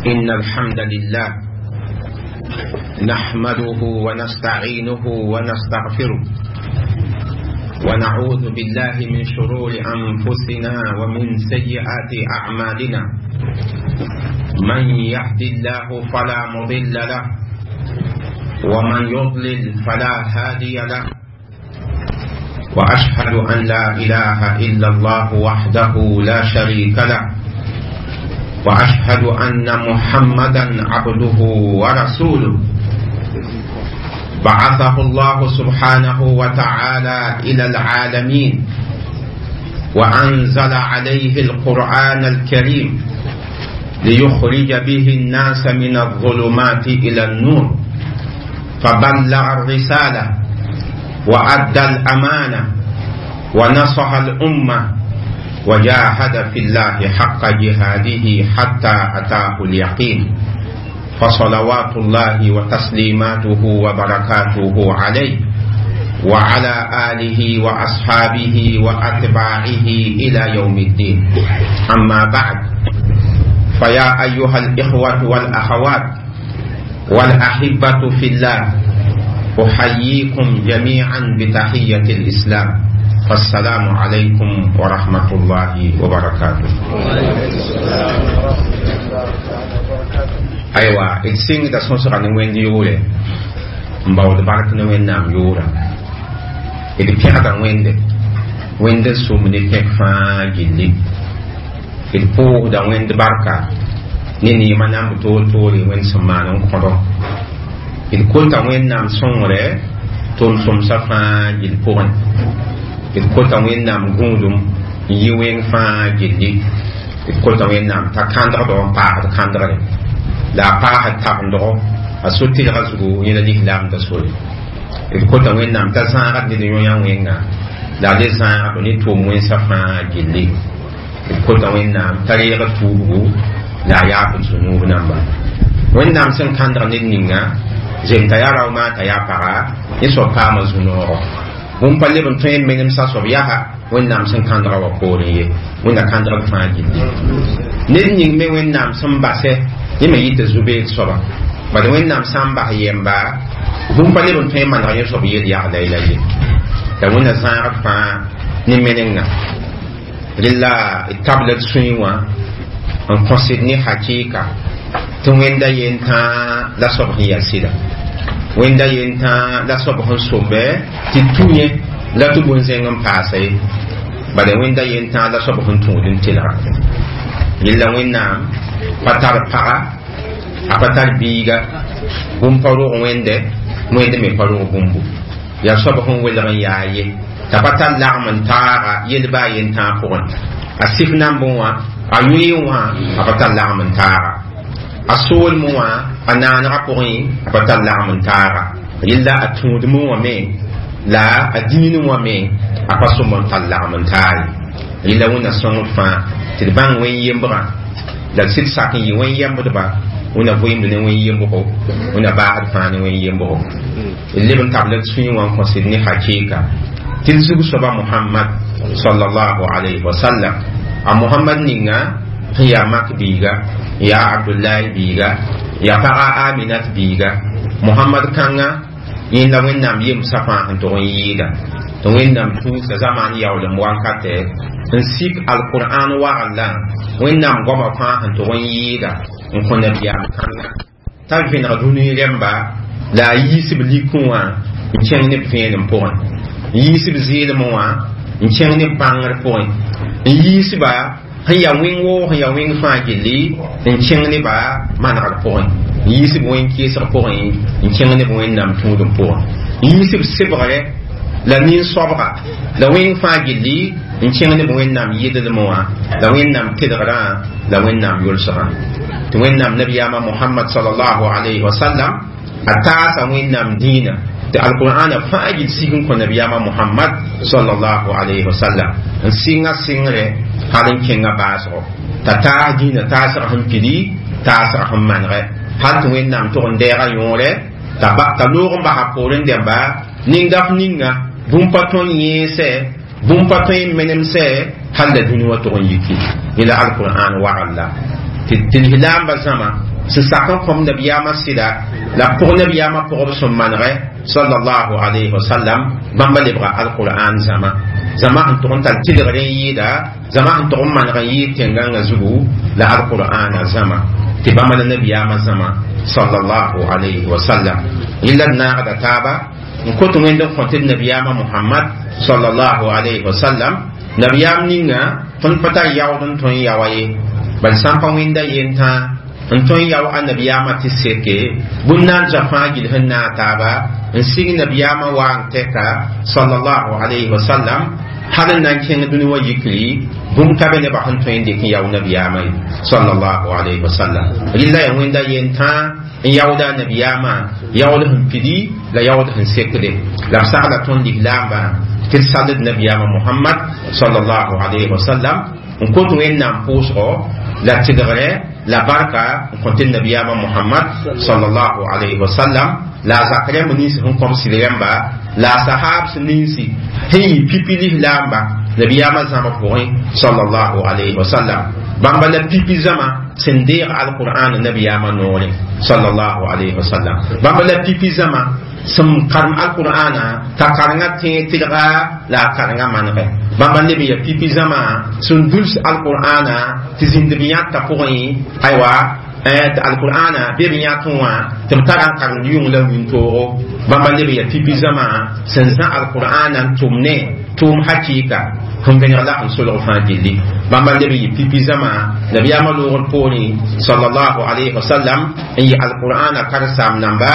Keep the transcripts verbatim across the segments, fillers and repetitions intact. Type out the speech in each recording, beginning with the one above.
إن الحمد لله نحمده ونستعينه ونستغفره ونعوذ بالله من شرور أنفسنا ومن سيئات أعمالنا. من يهد الله فلا مضل له ومن يضلل فلا هادي له، وأشهد أن لا إله إلا الله وحده لا شريك له، وأشهد أن محمدا عبده ورسوله. بعثه الله سبحانه وتعالى إلى العالمين وأنزل عليه القرآن الكريم ليخرج به الناس من الظلمات إلى النور، فبلغ الرسالة وأدى الأمانة ونصح الأمة وجاهد في الله حق جهاده حتى أتاه اليقين، فصلوات الله وتسليماته وبركاته عليه وعلى آله وأصحابه وأتباعه إلى يوم الدين. أما بعد، فيا أيها الإخوة والأخوات والأحبة في الله، أحييكم جميعا بتحية الإسلام، فالسلام عليكم ورحمة الله وبركاته. أيوة، السين ده سنسر عن وين ديوله مباود بارك نوين نام يورا إذا كان وين ده وين ده سومني كيف جلي إذا بوه ده وين ده باركا نيني ما نام تول تولي وين سمانون كرو إذا كنت وين نام سونره تون سوم سفا جل بورن إذا كنت وين نام غوندم يوين فا جلي إذا كنت وين نام تكاندر دون بار تكاندر لا بار تكاندر أسوتي غزو ينادي لام تسوي إذا كنت وين نام تزارت دنيا وين لا لزارت نتوم وين سفا جلي إذا كنت وين نام تريق توبو لا يأكل سنوب نamba وين نام سن كاندر نينغا زين تيارا وما تيارا يسوع قام زنورو bũmb pa leb n tõe n menemsa soab yaa Wẽnnaam sẽn kãndga wã poorẽ ye Wẽnna kãndg fãa gilli ned ning me Wẽnnaam sẽn basɛ yẽ me yɩ tɩ zu-beed soaba bad Wẽnnaam sã n bas yɛmba bũmb pa leb n tõe n maneg yẽ soab yel yagla la ye la Wẽnna zãagd fãa ne menenga rela d tabl d sũy wã n kõsd ne hakɩɩka tɩ Wẽnda yen tãa la soab sẽn yaa sɩda Wẽnda yen tãa la soab sẽn sombɛ tɩ tũ yẽ la tɩ bũn-zẽng n paasa ye bala Wẽnda yen tãa la soab sẽn tũud n telga yella Wẽnnaam pa tar paga a pa tar biiga bũmb pa rog Wẽnde Wẽnd me pa rog bũmbu yaa soab sẽn welg n yaa ye t'a pa tar lagm n taaga yel-ba a yen tãa pʋgẽ a sif nambẽ wã a yʋɩ wã a pa tar lagm n taaga a soolmẽ wã a naanegã pʋgẽ a pa tar lagm n taaga yella a tũudmẽ wã me la a dĩinẽ wã me a pa sõm n tar lagm n taa ye yella Wẽnna sõngd fãa tɩ d bãng wẽn-yembrã la d sɩd sak n yɩ wẽn-yembdba Wẽnna vɩɩmd ne wẽn-yembgo Wẽnna baasd fãa ne wẽn-yembgo d leb n tabl d sũyẽ wã n kõsd ne hakɩɩka tɩ d zug soaba Muhammad sallallahu alayhi wa sallam a Muhammad ninga sẽn yaa mak biiga yaa Abdullahi biiga yaa paga Aminat biiga Muhammad kãnga yẽnda Wẽnnaam yemsã fãa sẽn tog n yɩɩda tɩ Wẽnnaam tũusa zamaan yaoolem wankatɛ n sik alqur'an waglã Wẽnnaam goamã fãa sẽn tog n yɩɩda n kõ nabiyaam kãnga t'a vẽneg dũni rẽmba la a yiisb likẽ wã n kẽng ne b vẽenem pʋgẽ n yiisb zɩɩlmẽ wã n kẽng ne b bãngr pʋgẽ n yiisba sẽn yaa wẽng woo sẽn yaa wẽng fãa gilli n kẽng neba manegr pʋgẽ n yiisb wẽn-kɩɩsg pʋgẽ n kẽng neb Wẽnnaam tũudem pʋgẽ n yiisb sebgre la nin-soabga la wẽng fãa gilli n kẽng neb Wẽnnaam yɩdlmẽ wã la Wẽnnaam tedgrã la Wẽnnaam yʋlsgã tɩ Wẽnnaam nabiyaamã Mohamad sallallahu alayhi wa sallam a taasa Wẽnnaam dĩinã tɩ alqur'ana fãa gill sig n kõ nabiyaamã Mohamad sallallahu alayhi wa sallam n sɩnga sɩngre hal n kẽnga baasgo t'a taas dĩinã taasg sẽn pidi taasg sẽn manegɛ hal tɩ Wẽnnaam tʋg n dɛɛga yõore t'a loog n basa poorẽ dẽmba ning-daf ninga bũmb pa tõe n yẽesɛ bũmb pa tõe n menemsɛ hal la dũni wã tʋg n yiki yẽla alqur'an wagl la tɩ lislaambã zãma sẽn sak n kõm nabiyaamã sɩda la pʋg nabiyaamã pʋgb sẽn manegɛ sallallahu alayhi wa sallam bãmba lebga alqur'an zãma zãma sẽn tʋg n tar tɩlgr n yɩɩda zãma sẽn tʋg n maneg n yɩɩd tẽn-gãngã zugu la alqur'ana zãma tɩ bãmba la nabiyaamã zãma sallallahu alayhi wa sallam yẽla d naagda taaba n kot wẽnd n kõ tɩ d nabiyaamã Muhammad sallallahu alayhi wa sallam nabiyaam ninga tõnd pa tar yaood n tõe n yaoa ye bal sã n pa wẽnda yentã n tõe n yao a nabiyaamã tɩ seke bũmb na n zoa fãa gill sẽn naag taaba n sig nabiyaamã waang tɛka sallallahu alayhi wa sallam hal n na n kẽng dũni wã yikri bũmb ka be nebã sẽn tõe n dɩk n yao nabiyaamã ye sallallahu alayhi wa sallam rɩla yaa wẽnda yentã n yaooda a nabiyaamã yaood sẽn pidi la yaood sẽn sekde la b sagla tõnd lislaambã tɩ d sald nabiyaamã Muhammad sallallahu alayhi wa sallam n kot wẽnnaam pʋʋsgo la tɩlgre la barka n kõ tɩ nabiyaamã Muhammad sallallahu alayhi wa sallam la a zak rãmb nins sẽn kõm sɩd rãmba la a sahaabs ninsi sẽn yɩ pipi lislaamba nabiyaamã zãma pʋgẽ sallallahu alayhi wa sallam bãmba la pipi zãma sẽn deeg alqur'an nabiyaamã noorẽ sallallahu alayhi wa sallam bãmba la pipi zãma sẽn karem alqur'ana t'a karengã tẽeg tɩlga la a karengã manegɛ bãmba leb n ya pipi zãma sẽn duls alqur'ana tɩ zĩnd b yãta pʋgẽ aywa tɩ alqur'ana be b yãtẽ wã tɩ b tara n karemd yʋng la wĩntoogo bãmba leb n ya pipi zãma sẽn zã alqur'ana n tʋm ne tʋʋm hakɩɩka sẽn vẽneg la sẽn solg fãa gilli bãmba leb n yɩ pipi zãma nabiyaamã loogr poorẽ sallallahu alayhi wa sallam n yɩ alqur'ana karen-saam namba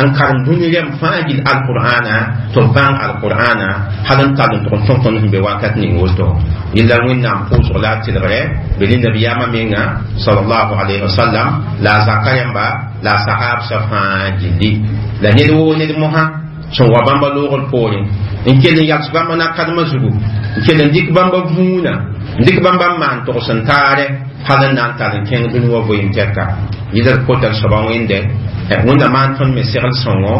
n karem dũni rɛm fãa gill alqur'ana tɩ b bãng alqur'ana hal n tall n tʋg n tõs tõnd sẽn be wakat ning woto yella wẽnnaam pʋʋsg la a tɩlgrɛ be ne nabiyaamã menga sallallahu alayhi wa sallam la a zaka rãmba la a sahaabsã fãa gilli la ned woo ned mosã sẽn wa bãmba loogr poorẽ n kell n yals bãmba na-kadmã zugu n kell n dɩk bãmba vũuna n dɩk bãmba n maan togs n taare hal n na n tar n kẽng dũni wã vɩɩm tɛka yɩla d kota d soaba wẽnde wẽnda maan tõnd me segl sõngo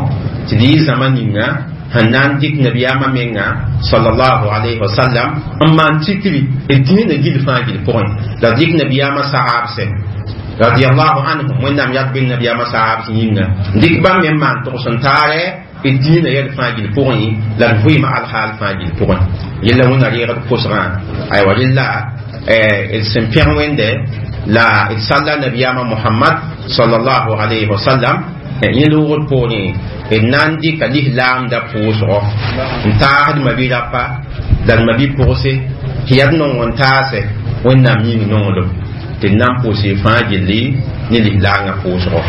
tɩ d yɩ zãma ninga sẽn na n dɩk nabiyaamã menga sallallahu alayhi wa sallam n maan tikri d dĩinã gill fãa gill pʋgẽ la dɩk nabiyaamã sahaabsɛ radiyallahu anhum wẽnnaam yat be nabiyaamã sahaabs yĩnga n dɩk bãmb me n maan togs n taare d dĩinã yɛl fãa gill pʋgẽ la d vɩɩmã alhaal fãa gill pʋgẽ yella wẽnna reegd kosgã aywa rella d sẽn pẽg wẽnde la d salla nabiyaamã Muhammad sallallahu alayhi wa sallam yẽ loogr poorẽ d na n dɩka lislaamda pʋʋsgɔ n taasd mabi-rapa la d mabi-pʋgse tɩ yaa d nong n taasɛ wẽnnaam yĩng nonglem tɩ d na n pʋʋs y fãa gilli ne lislaangã pʋʋsgɔ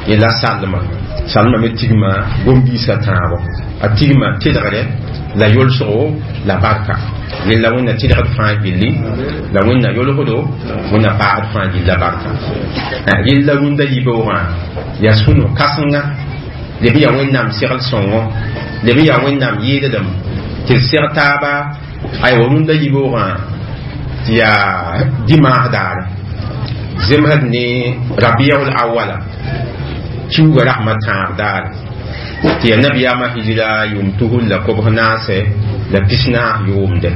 yẽ la salma salma me tigma gom-biisã tãabo a tigma tɩlgre la yolsgo la barka rella wẽnna tɩlgd fãa gilli la wẽnna yolsdo wẽnna paagd fãa gilla barka rella rũndã yibeoogã yaa sũno kãsenga leb n yaa wẽnnaam segl sõngo leb n yaa wẽnnaam yɩɩdlem tɩ d seg taaba aywa rũndã yibeoogã tɩ yaa dimaas daare zemsd ne rabiul awala kiuga rasmã tãab daare tɩ yaa nabiyaamã hijira yʋʋm tusr la kobs naase la pis naas yʋʋmde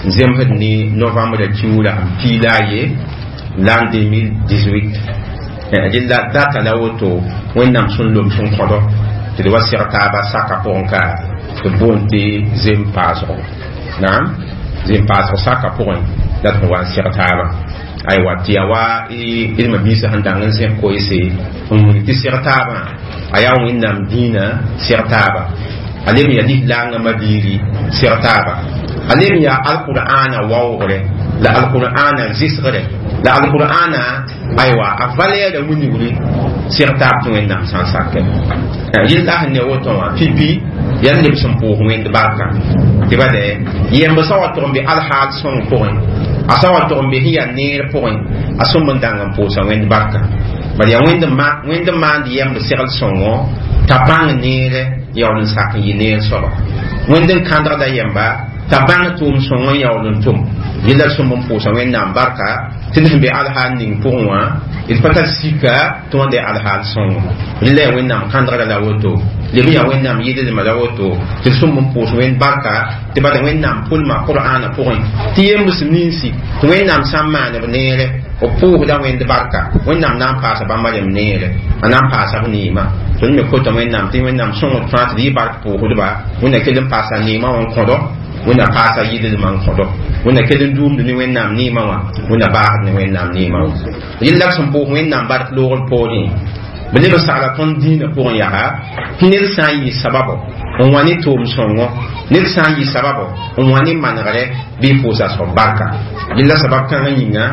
n zemsd ne novembre kiugra n piila a ye l'an deux mille dix-huit rella data la woto wẽnnaam sẽn lom sẽn kõdo tɩ d wa seg taaba saka pʋgẽ ka tɩ b boond tɩ zem paasgo naam zem paasg saka pʋgẽ la d sẽn wa n seg taaba aywa tɩ yaa wa d mabiisã sẽn dãng n zẽk koeese n wilg tɩ seg taabã a yaa wẽnnaam dĩinã seg taaba a leb n yaa lislaangã mabiiri seg taaba a leb n yaa alqur'ana waoogre la alqur'ana zɩsgre la alqur'ana aywa a valɛɛra wilgri seg taab tɩ wẽnnaam sã n sakɛ rɩla sẽn ne woto wã pipi yaa leb sẽn pʋʋs wẽnd barka tɩ ba dɛ yɛmb sã wa tʋg n be alhaal sõng pʋgẽ a sã wa tʋg n be sẽn yaa neer pʋgẽ a sõmb n dãng n pʋʋsa wẽnd barka bala yaa wẽnd n maand yɛmb segl sõngo t'a bãng neere yaool n sak n yɩ neer soaba wẽnd n kãndgda yɛmba t'a bãng tʋʋm sõng n yaool n tʋm yella d sõmb n pʋʋsa wẽnnaam barka tɩ ned sẽn be alhaal ning pʋgẽ wã d pa tar sika tɩ wãnda yaa alhaal sõngo rẽla yaa wẽnnaam kãndgra la woto leb n yaa wẽnnaam yɩldma la woto tɩ d sõmb n pʋʋs wẽnd barka tɩ bala wẽnnaam pʋlma qur'aana pʋgẽ tɩ yembs ninsi tɩ wẽnnaam sã n maan b neere b pʋʋsda wẽnd barka wẽnnaam na n paasa bãmba rem neere a na n paasa b neema tõnd me kota wẽnnaam tɩ wẽnnaam sõngd fãa tɩ d yɩ bark pʋʋsdba wẽnna kell n paasa neemã wã n kõdo wẽnna paasa yɩldmã n kõdo wẽnna kell n duumd ne wẽnnaam neemã wã wẽnna baasd ne wẽnnaam neemã wã yella b sẽn pʋʋs wẽnnaam bark loogr poorẽ b leb n sagla tõnd dĩinã pʋgẽ yaa tɩ ned sã n yɩ sababo n wa ne tʋʋm sõngo ned sã n yɩ sababo n wa ne manegre bɩ pʋʋsa soab barka yella sabab kãngã yĩnga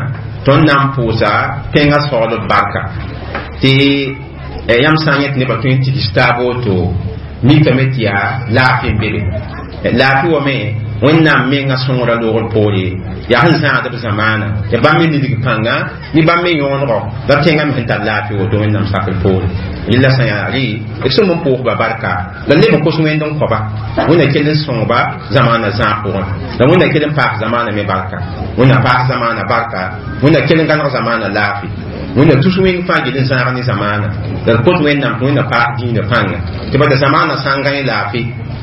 tõnd na n pʋʋsa tẽngã soglb barka tɩ yãmb sã n yẽ tɩ nebã tõe n tigs taab woto mikame tɩ yaa laafɩ n be be laafɩ wame wẽnnaam menga sõngrã loogr poore yaa sẽn zãagd b zamaana ya bãmb me nidg pãnga ne bãmb me yõonego la b tẽngã me sẽn tar laafɩ woto wẽnnaam sakr poore yella sã yaa rɩ d sõm n pʋʋsba barka la leb n kos wẽnd n kõba wẽnna kell n sõngba zamaana zãag pʋgẽ la wẽnna kell n paas zamaana me barka wẽnna paas zamaana barka wẽnna kell n gãneg zamaana laafɩ wẽnna tus wẽng fãa gil n zãag ne zamaana la d kot wẽnnaam tɩ wẽnna paas dĩinã pãnga tɩ bala zamaana sã n gã laafɩ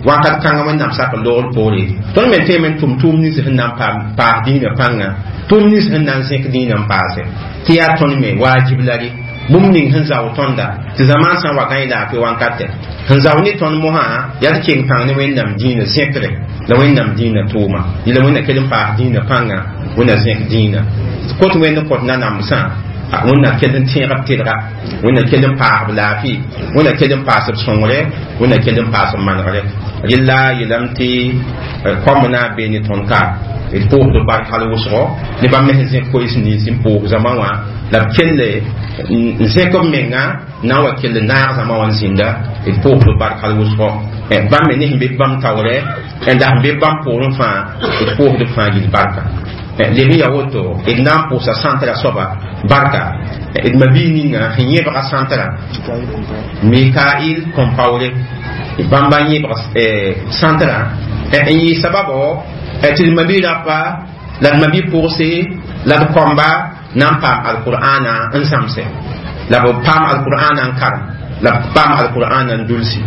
wakat kãngã wẽnnaam sak n loogr poore tõnd me teeme n tʋm tʋʋm nins sẽn na n paas dĩinã pãnga tʋʋm nins sẽn na n zẽk dĩinã n paase tɩ yaa tõnd me waajib la rɩ bũmb ning sẽn zao tõnda tɩ zamaan sã n wa gã laafɩ wankatɛ sẽn zao ne tõnd mosã yaa d keng pãng ne wẽnnaam dĩinã zẽkre la wẽnnaam dĩinã tʋʋma yɩla wẽnna kell n paas dĩinã pãnga wẽnna zẽk dĩinã kot wẽnd n kõt nanamsã wẽnna kell n tẽeg b tɩlga wẽnna kell n paas b laafɩ wẽnna kell n paas b sõngre wẽnna kell n paas b manegre yella yeelame tɩ koamb na n bee ne tõnd ka d pʋʋsd bark hal wʋsgo ne bãmb me sẽn zẽk koees nins n pʋʋs zãma wã la b kelle n zẽk b menga na n wa kell n naag zãma wã n zĩnda d pʋʋsd bark hal wʋsgo bãmb me ne sẽn be bãmb taoorɛ la sẽn be bãmb poorẽ fãa d pʋʋsd b fãa yil barka leb n yaa woto d na n pʋʋsa sãntrã soaba barka d mabii ninga sẽn yẽbga sãntrã mikail Compaoré bãmba n yẽbg sãntrã n yɩ sababo tɩ d mabii rapa la d mabii pʋgse la d kõmba na n paam alqur'ana n zãmse la b paam alqur'ana n karem la b paam alqur'ana n dulsi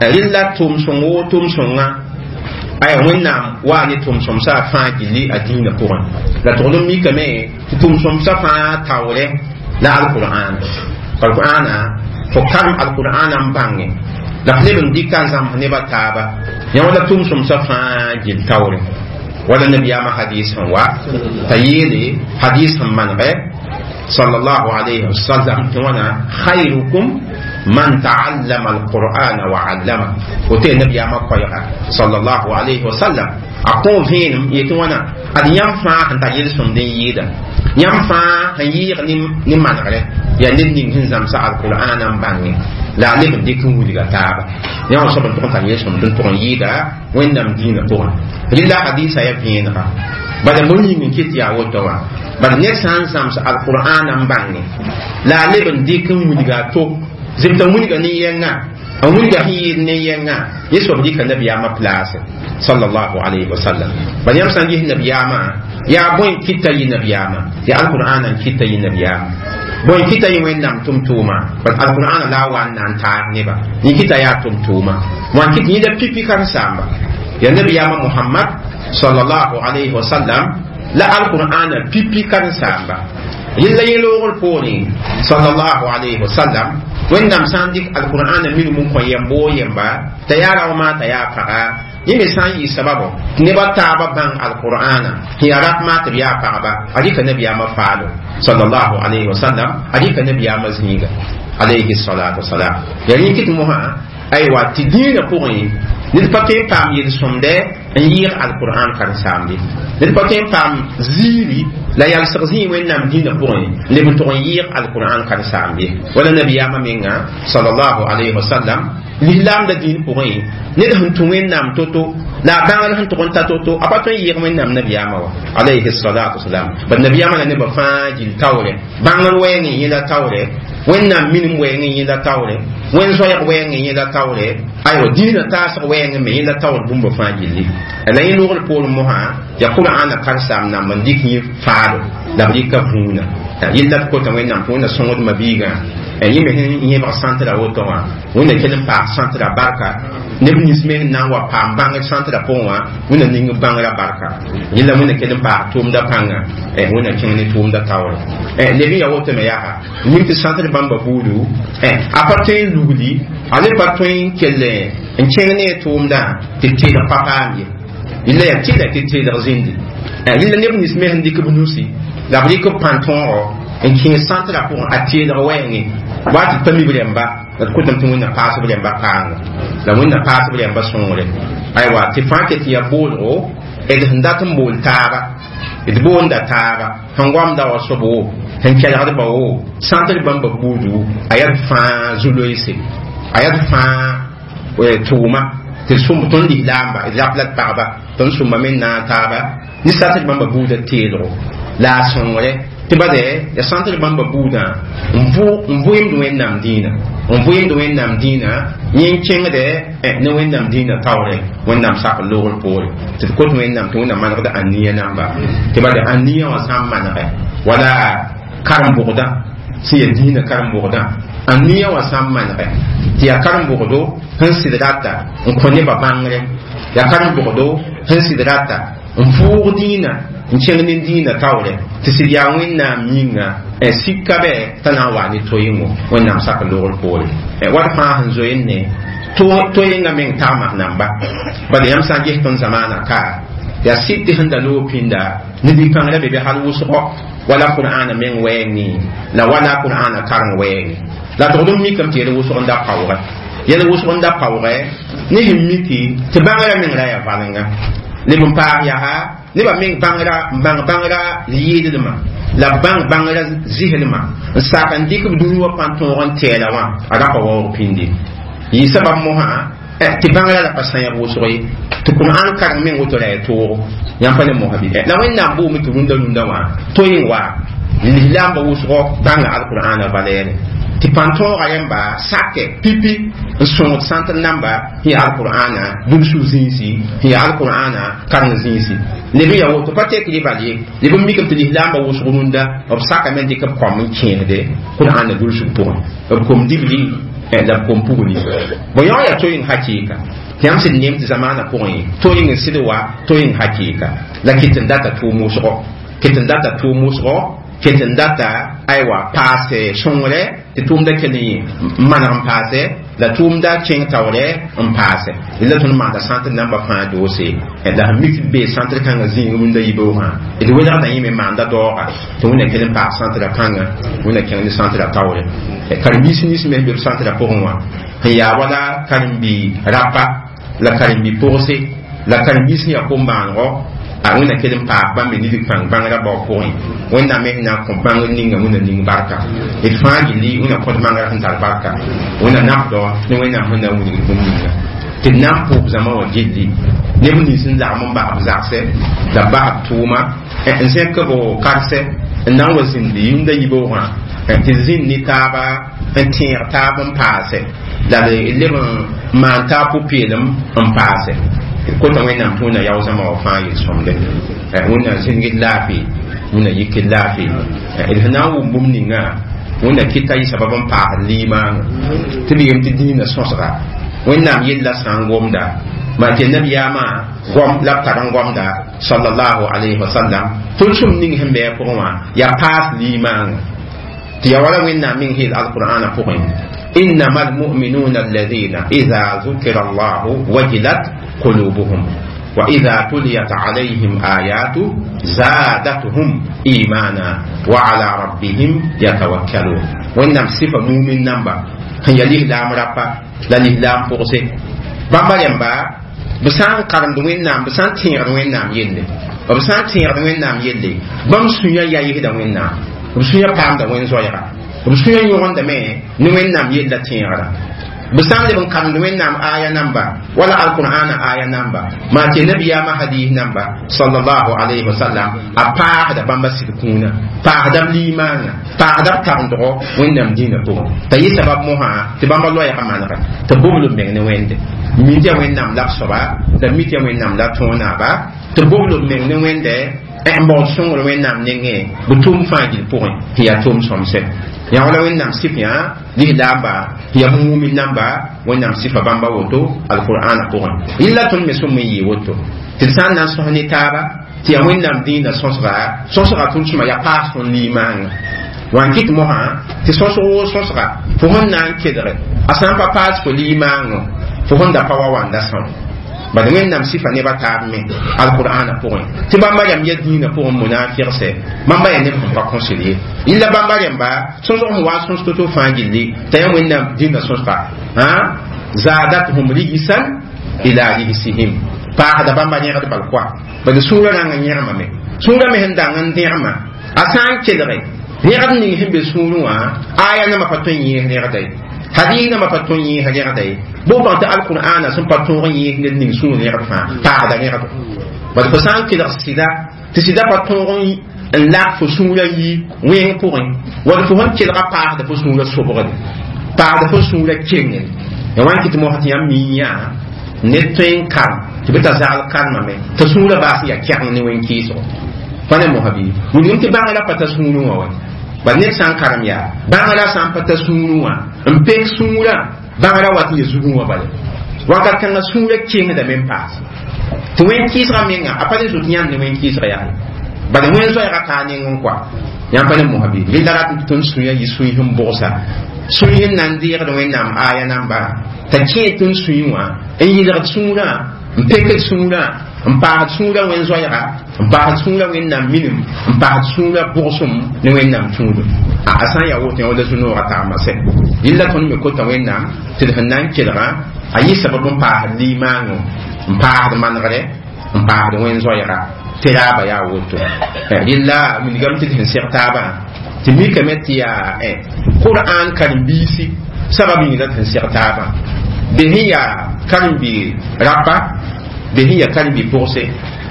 rẽlla tʋʋm sõng woo tʋʋm sõnga aya wẽnnaam waa ne tʋʋm-sõmsã fãa gilli a dĩinã pʋgẽ la togl n mikame tɩ tʋʋm-sõmsã fãa taoorɛ la alqur'ana alqur'ana fo karem alqur'ana n bãnge la f leb n dɩka n zãms nebã taaba yã wala tʋʋm-sõmsã fãa gill taoorɛ wala nabiyaamã hadis sẽn wa t'a yeele hadis sẽn manegɛ sallallahu alayhi wa sallam tɩ wãna khayrukum man ta'allama alqur'ana wa 'allama woto yaa nabiyaamã koɛɛga sallallahu alayhi wa sallam a kõ vẽenem yetɩ wãna ad yãmb fãa sẽn tar yel-sõmd n yɩɩda yãmb fãa sẽn yɩɩg ne manegrɛ yaa ned ning sẽn zãmsa alqur'ana n bãnge la a leb n dɩk n wilga taaba yã wã soab n tʋg n tar yel-sõmd n tʋg n yɩɩda wẽnnaam dĩinã pʋgẽ rɩla hadisa yaa vẽenega bala bõe yĩng n kɩt yaa woto wã bala ned sã n zãms alqur'ana n bãnge la a leb n dɩk n wilga a to zɩbta wilga ne yɛngã n wilga sẽn yɩɩd ne yɛngã yẽ soab dɩka nabiyaamã place sallallahu alayhi wa sallam bala yãmb sã n ges nabiyaamã yaa bõe kɩta yɩ nabiyaamã yaa alqur'ana n kɩta yɩ nabiyaamã bõe kɩta yɩ wẽnnaam tʋm-tʋʋma bal alqur'ana la a wa n na n taag neba yẽ kɩta yaa tʋm-tʋʋma wã n kɩt yẽda pipi karen-saamba yaa nabiyaamã muhammad sallallahu alayhi wa sallam la alqur'ana pipi karen-saamba yella yẽ loogr poorẽ sallallahu alayhi wa sallam wẽnnaam sã n dɩk alqur'ana minim n kõ yɛm boo yɛmba t'a yaa raooma t'a yaa paga yẽ me sã n yɩ sababo tɩ nebã taabã bãng alqur'ana sẽn yaa ratmã tɩ b yaa pagba a rɩka nabiyaamã faalo sallallahu alayhi wa sallam a rɩka nabiyaamã zĩiga alayhi salatu wasalam yaa rẽ kɩt mosã aywa tɩ dĩinã pʋgẽ ned pa tõe n paam yel-sõmdɛ n yɩɩg alqur'an karen-saambe ned pa tõe n paam ziiri la yalsg zĩig wẽnnaam dĩinã pʋgẽ leb n tʋg n yɩɩg alqur'an karen-saambe wala nabiyaamã menga sallallahu alayhi wa sallam lislaamda dĩin pʋgẽ ned sẽn tũ wẽnnaam to-to La a bãngr sẽn tʋg n ta to-to a pa tõe n yɩɩg wẽnnaam nabiyaamã wa alayhi salatu wasalam. Bad nabiyaamã la nebã fãa gill taoore bãngr wɛɛngẽ yẽla taoore wẽnnaam minim wɛɛngẽ yẽla taoore wẽn zoɛɛg wɛɛngẽ yẽla taoore aywa dĩinã taasg wɛɛngẽ me yẽla taoor bũmba fãa gilli la yẽ logr poorẽ mosã yaa qur'ana karsaam namb n dɩk yẽ faado la b rɩka vũuna yella d kota wẽnnaam tɩ wẽnna sõngd mabiigã yẽ me sẽn yẽbg sãntra woto wã wẽnna kell n paas sãntra barka neb nins me sẽn na n wa paam bãngr sãntra pʋgẽ wã wẽnna ning bãngrã barka yella wẽnna kell n paas tʋʋmda pãnga wẽnna kẽng ne tʋʋmda taoore leb n ya woto me yaa ning tɩ sãntr bãmba buudu a pa tõe n lugli a le pa tõe n kell n kẽng ne a tʋʋmdã tɩ teelg pa paam ye yella yaa tɩla tɩ teelg zĩndi yella neb nins me sẽn dɩk b nusi la b rɩk b pãn-tõogo n kẽes sãntrã pʋgẽ a teelg wɛɛngẽ wa tɩ pa mi b rẽmba la d kotame tɩ wẽnna paas b rẽmba paanga la wẽnna paas b rẽmba sõngre aywa tɩ fãa ket tɩ yaa boolgo d sẽn dat n bool taaba d boonda taaba sẽn goamda wa soab wo sẽn kelgdba wo sãntr bãmba buudu a yaa d fãa zu-loeese a yaa d fãa tʋʋma tɩ sũm tõnd lislaamba d rap la d pagba tõnd sũmba me n naag taaba ne sãntr bãmba buudã teelgo la a sõngre tɩ bade ya sãntr bãmba buudã n vʋɩmd wẽnnaam dĩinã n vʋɩmd wẽnnaam dĩinã yẽ n kẽngdɛ ne wẽnnaam dĩinã taoore wẽnnaam sak logr poore tɩ d kot wẽnnaam tɩ wẽnnaam manegd aniya namba tɩ bade aniya wã sã n manegɛ wala karen-bʋgdã sẽn yaa dĩinã karen-bʋgdã aniya wã sã n manegɛ tɩ yaa karen-bʋgdo sẽn sɩd rata n kõ nebã bãngre yaa karen-bʋgdo sẽn sɩd rata n vʋʋg dĩinã n kẽng ne dĩinã taoore tɩ sɩd yaa wẽnnaam yĩnga sika bɛ t'a na n wa ne to-yẽngo wẽnnaam sak logr poore wat fãa sẽn zoeenne to-yẽngã meng tagmas namba bala yãmb sã n ges tõnd zamaana ka yaa sɩd tɩ sẽn da loog pĩnda ne bi-kãngrã be be hal wʋsgo wala qur'ana meng wɛɛngẽ la wala qur'ana kareng wɛɛngẽ la tʋgd n mikame tɩ yel wʋsg n da paoogɛ yel wʋsg n da paoogɛ ne sẽn miki tɩ bãngrã meng ra yaa valenga leb n paas yaa nebã meng bãngrã n bãng bãngrã yɩɩdlmã la b bãng bãngrã zɩslmã n sak n dɩk b dũni wã pãn-tõog n tɛɛla wã a ra pa waoog pĩndi yɩ sabab mosã tɩ bãngrã la pa sãyb wʋsg ye tɩ qur'an kareng meng woto ra yaa toogo yãmb pa ne mosa bɩ la wẽnnaam boome tɩ rũndã rũndã wã to-yẽ wa lislaambã wʋsgo bãnga alqur'ana valɛɛre tɩ pãn-tõoga rẽmba sakɛ pipi n sõngd sãntr namba sẽn yaa alqur'ana dũnsug zĩisi sẽn yaa alqur'ana kareng zĩisi leb n yaa woto pa tek rɩ bal ye leb n mikame tɩ lislaambã wʋsg rũndã b sakame n dɩk b kõm n kẽesde qur'ana dũnsug pʋgẽ b kom dibli la b kom pugli bõ yõ yaa to-yẽng hakɩɩka tɩ yãmb sẽd neem tɩ zamaanã pʋgẽ to-yẽng n sɩd wa to-yẽng hakɩɩka la kɩt n data tʋʋm wʋsgo kɩt n data tʋʋm wʋsgo kɩt n data aywa paase sõngre tɩ tʋʋmda kell n maneg n paase la tʋʋmda kẽng taoorɛ n paase la tõnd maanda sãntr namba fãa doose la sẽn mik tɩ d bee sãntr kãngã zĩig rũndã yibeoogã d welgda yẽ me maanda daooga tɩ wẽnna kell n paas sãntrã pãnga wẽnna kẽng ne sãntrã taoore karen-biis nins me sẽn be b sãntrã pʋgẽ wã sẽn yaa wala karen-bi rapa la karen-bi pʋgse la karen-biis sẽn yaa kom-bãanego a wẽnna kell n paas bãmb me nidg pãng bãngrã bao pʋgẽ wẽnnaam me sẽn na n kõ bãngr ninga wẽnna ning barka d fãa gilli wẽnna kõt bãngrã sẽn tar barka wẽnna nafdɔ ne wẽnnaam sẽn na n wilgd bũmb ninga tɩ d na n pʋʋb zãma wã gilli neb nins n lagm n bas b zagsɛ la b bas b tʋʋma n zẽk b karsɛ n na n wa zĩndi yĩnda yibeoogã tɩ zĩnd ne taaba n tẽeg taab n paase la d leb n maan taab pʋ-peelem n paase kota wẽnnaam tɩ wẽnna yao zãma wã fãa yel-sõmde wẽnna zĩngd laafɩ wẽnna yikd laafɩ d sẽn na n wʋm bũmb ninga wẽnna kɩta yɩ sabab n paasd liimaangã tɩ b yem tɩ dĩinã sõsga wẽnnaam yella sã n gomda maa tɩ nabiyaamã gom la b tar n gomda sallallahu alayhi wa sallam tõnd sũm ning sẽn bɩ a pʋgẽ wã yaa paas liimaangã tɩ yaa wala wẽnnaam meng heel alqur'ana pʋgẽ إنما المؤمنون الذين إذا ذكر الله وجلت قلوبهم وإذا تليت عليهم آياته زادتهم إيمانا وعلى ربهم يتوكلون وإنما صفة مؤمن نمبا هي الإسلام ربا لا الإسلام فوقسي بابا ينبا بسان قرن وينام بسان تيغ وينام يلي بسان تيغ وينام يلي بام سنيا يا يهدا وينام بسنيا قام دا وين زويرا b sũyã yõgendame ne wẽnnaam yella tẽegra b sã n leb n karemd wẽnnaam aya namba wala alqur'ana aya namba maa tɩ nabiyaamã hadis namba sallallahu alayhi wa sallam a paasda bãmba sɩd kũuna paasda b liimaangã paasda b karemdgo wẽnnaam dĩinã pʋgẽ t'a yɩ sabab mosã tɩ bãmba loɛɛgã manega tɩ bobl b meng ne wẽnde mi tɩ ya wẽnnaam la b soaba la mi tɩ ya wẽnnaam la tõog-naaba tɩ bobl b meng ne wẽnde n baood sõngr wẽnnaam nengẽ b tʋʋm fãa gil pʋgẽ tɩ yaa tʋʋm sõmsɛ yã wala wẽnnaam sɩf yã lislaamba tɩ yaa mumin namba wẽnnaam sɩfa bãmba woto alqur'ana pʋgẽ yella tõnd me sõm n yɩɩ woto tɩ d sã n na n sõs ne taaba tɩ yaa wẽnnaam dĩinã sõsga sõsga tʋʋm-sõma yaa paas tõnd liimaangã wan kɩt mosã tɩ sõsg woo sõsga fo sẽn na n kelge a sã n pa paas fo liimaangõ fo sẽn da pa wa wanda sõm bad wẽnnaam sɩfa nebã taab me alqur'ana pʋgẽ tɩ bãmba rãmb ya dĩinã pʋgẽ munafigsɛ bãmba yaa neb sẽn pa kõsd ye yella bãmba rẽmba sõsg sẽn wa sõs to-to fãa gilli t'a yaa wẽnnaam dĩinã sõsga zadathum rijsan ila rijsihim paasda bãmba yẽgd bal koa bad sũurã rãng n yẽgmame sũurã me sẽn dang n dẽgma a sã n kelge rẽgd ning sẽn be sũurẽ wã aya nambã pa tõe n yẽes rẽgda ye hadis nambã pa tõe n yẽes rẽgda ye bõe tɩ alqur'ana sẽn pa tõog n yẽes ned ning sũur rẽgd fãa paasda rẽgdo bad fo sã n kelg sɩda tɩ sɩda pa tõog n lak fo sũurã yi wẽng pʋgẽ wall fo sẽn kelga paasda fo sũurã sobgde paasda fo sũurã kengẽ ya wãn kɩ tɩ mosã tɩ yãmb mi yã ned tõe n karem tɩ bɩ t'a zagl karemame t'a sũurã baas n yaa kɛgeng ne wẽn-kɩɩsgo pa ne mosã bɩ wilgem tɩ bãngã la pa ta sũurẽ wã wa bal ned sã n karem yaa bãngã la sã n pa ta sũurẽ wã n pek sũurã bãngã ra wat n ya zugẽ wã bala wakat kãngã sũurã kengdame n paas tɩ wẽn-kɩɩsgã menga a pa le zot yãnd ne wẽn-kɩɩsga yaa bala wẽn-zoɛɛgã kaa neng n koa yãmb pa ne mosã bɩ rẽnda rat tɩ tõnd sũyã yɩ sũy sẽn bogsa sũy sẽn na n deegd wẽnnaam aya namba t'a kẽe tõnd sũy wã n yɩlgd sũurã n pekd sũurã n paasd sũurã wẽn-zoɛɛga n paasd sũurã wẽnnaam minim n paasd sũurã bʋgsem ne wẽnnaam tũudum a sã n yaa woto yã wala zu-noogã tagma sɛ yella tõnd me kota wẽnnaam tɩ d sẽn na n kelgã a yɩ sabab n paasd liimaangõ n paasd manegre n paasd wẽn-zoɛɛga tɩ raaba yaa woto rɩlla wilgame tɩ d sẽn seg taabã tɩ mikame tɩ yaa qur'an karen-biisi sabab yĩng la d sẽn seg taabã be sẽn yaa karen-bi rapa be sẽn yaa karen-bi pʋgse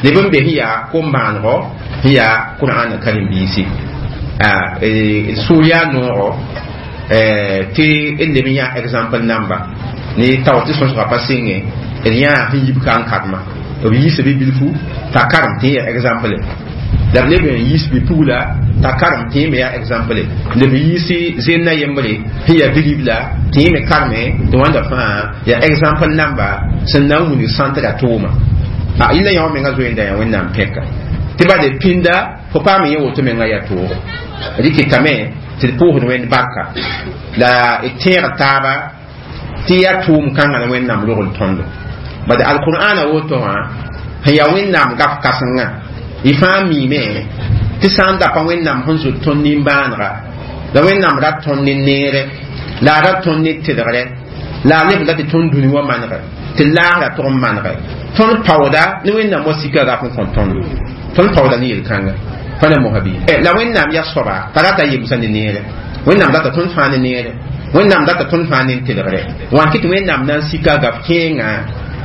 leb n be sẽn yaa kom-bãanegɔ sẽn yaa qur'an karen-biisi sũur yaa noogo tɩ d leb n yaa exemple namba ne tao tɩ sõsga pa sɩngẽ d yãa sẽn yib ka n karema b yiisa bi-bilfu t'a karem tɩ yaa exemple la b leb n yiis bi-pugla t'a karem tɩ me yaa exemple la b yiisi zẽnna yembre sẽn yaa bi-ribla tɩ me kareme tɩ wãnda fãa yaa exemple namba sẽn na n wilg sãntra tʋʋma a yella yã wã menga zoeenda yaa wẽnnaam pẽka tɩ bale pĩnda fo paam yẽ woto menga yaa toogo rɩkɩtame tɩ d pʋʋsd wẽnd barka la d tẽeg taaba tɩ yaa tʋʋm kãngã la wẽnnaam rogl tõndo bad alqur'ana woto wã sẽn yaa wẽnnaam gaf kãsengã y fãa miime tɩ sã n da pa wẽnnaam sẽn zot tõnd nimbãanega la wẽnnaam rat tõnd ne neere la a rat tõnd ne tɩlgre la a lebd la tɩ tõnd dũni wã manege tɩ laasra tʋg n manege tõnd paooda ne wẽnnaam wa sika raf n kõ tõndo tõnd paooda ne yel-kãnga pa ne mosã bɩ la wẽnnaam yaa soaba t'a rata yemsã ne neere wẽnnaam rata tõnd fãa ne neere wẽnnaam rata tõnd fãa ne tɩlgre wã kɩ tɩ wẽnnaam na n sika gaf kẽengã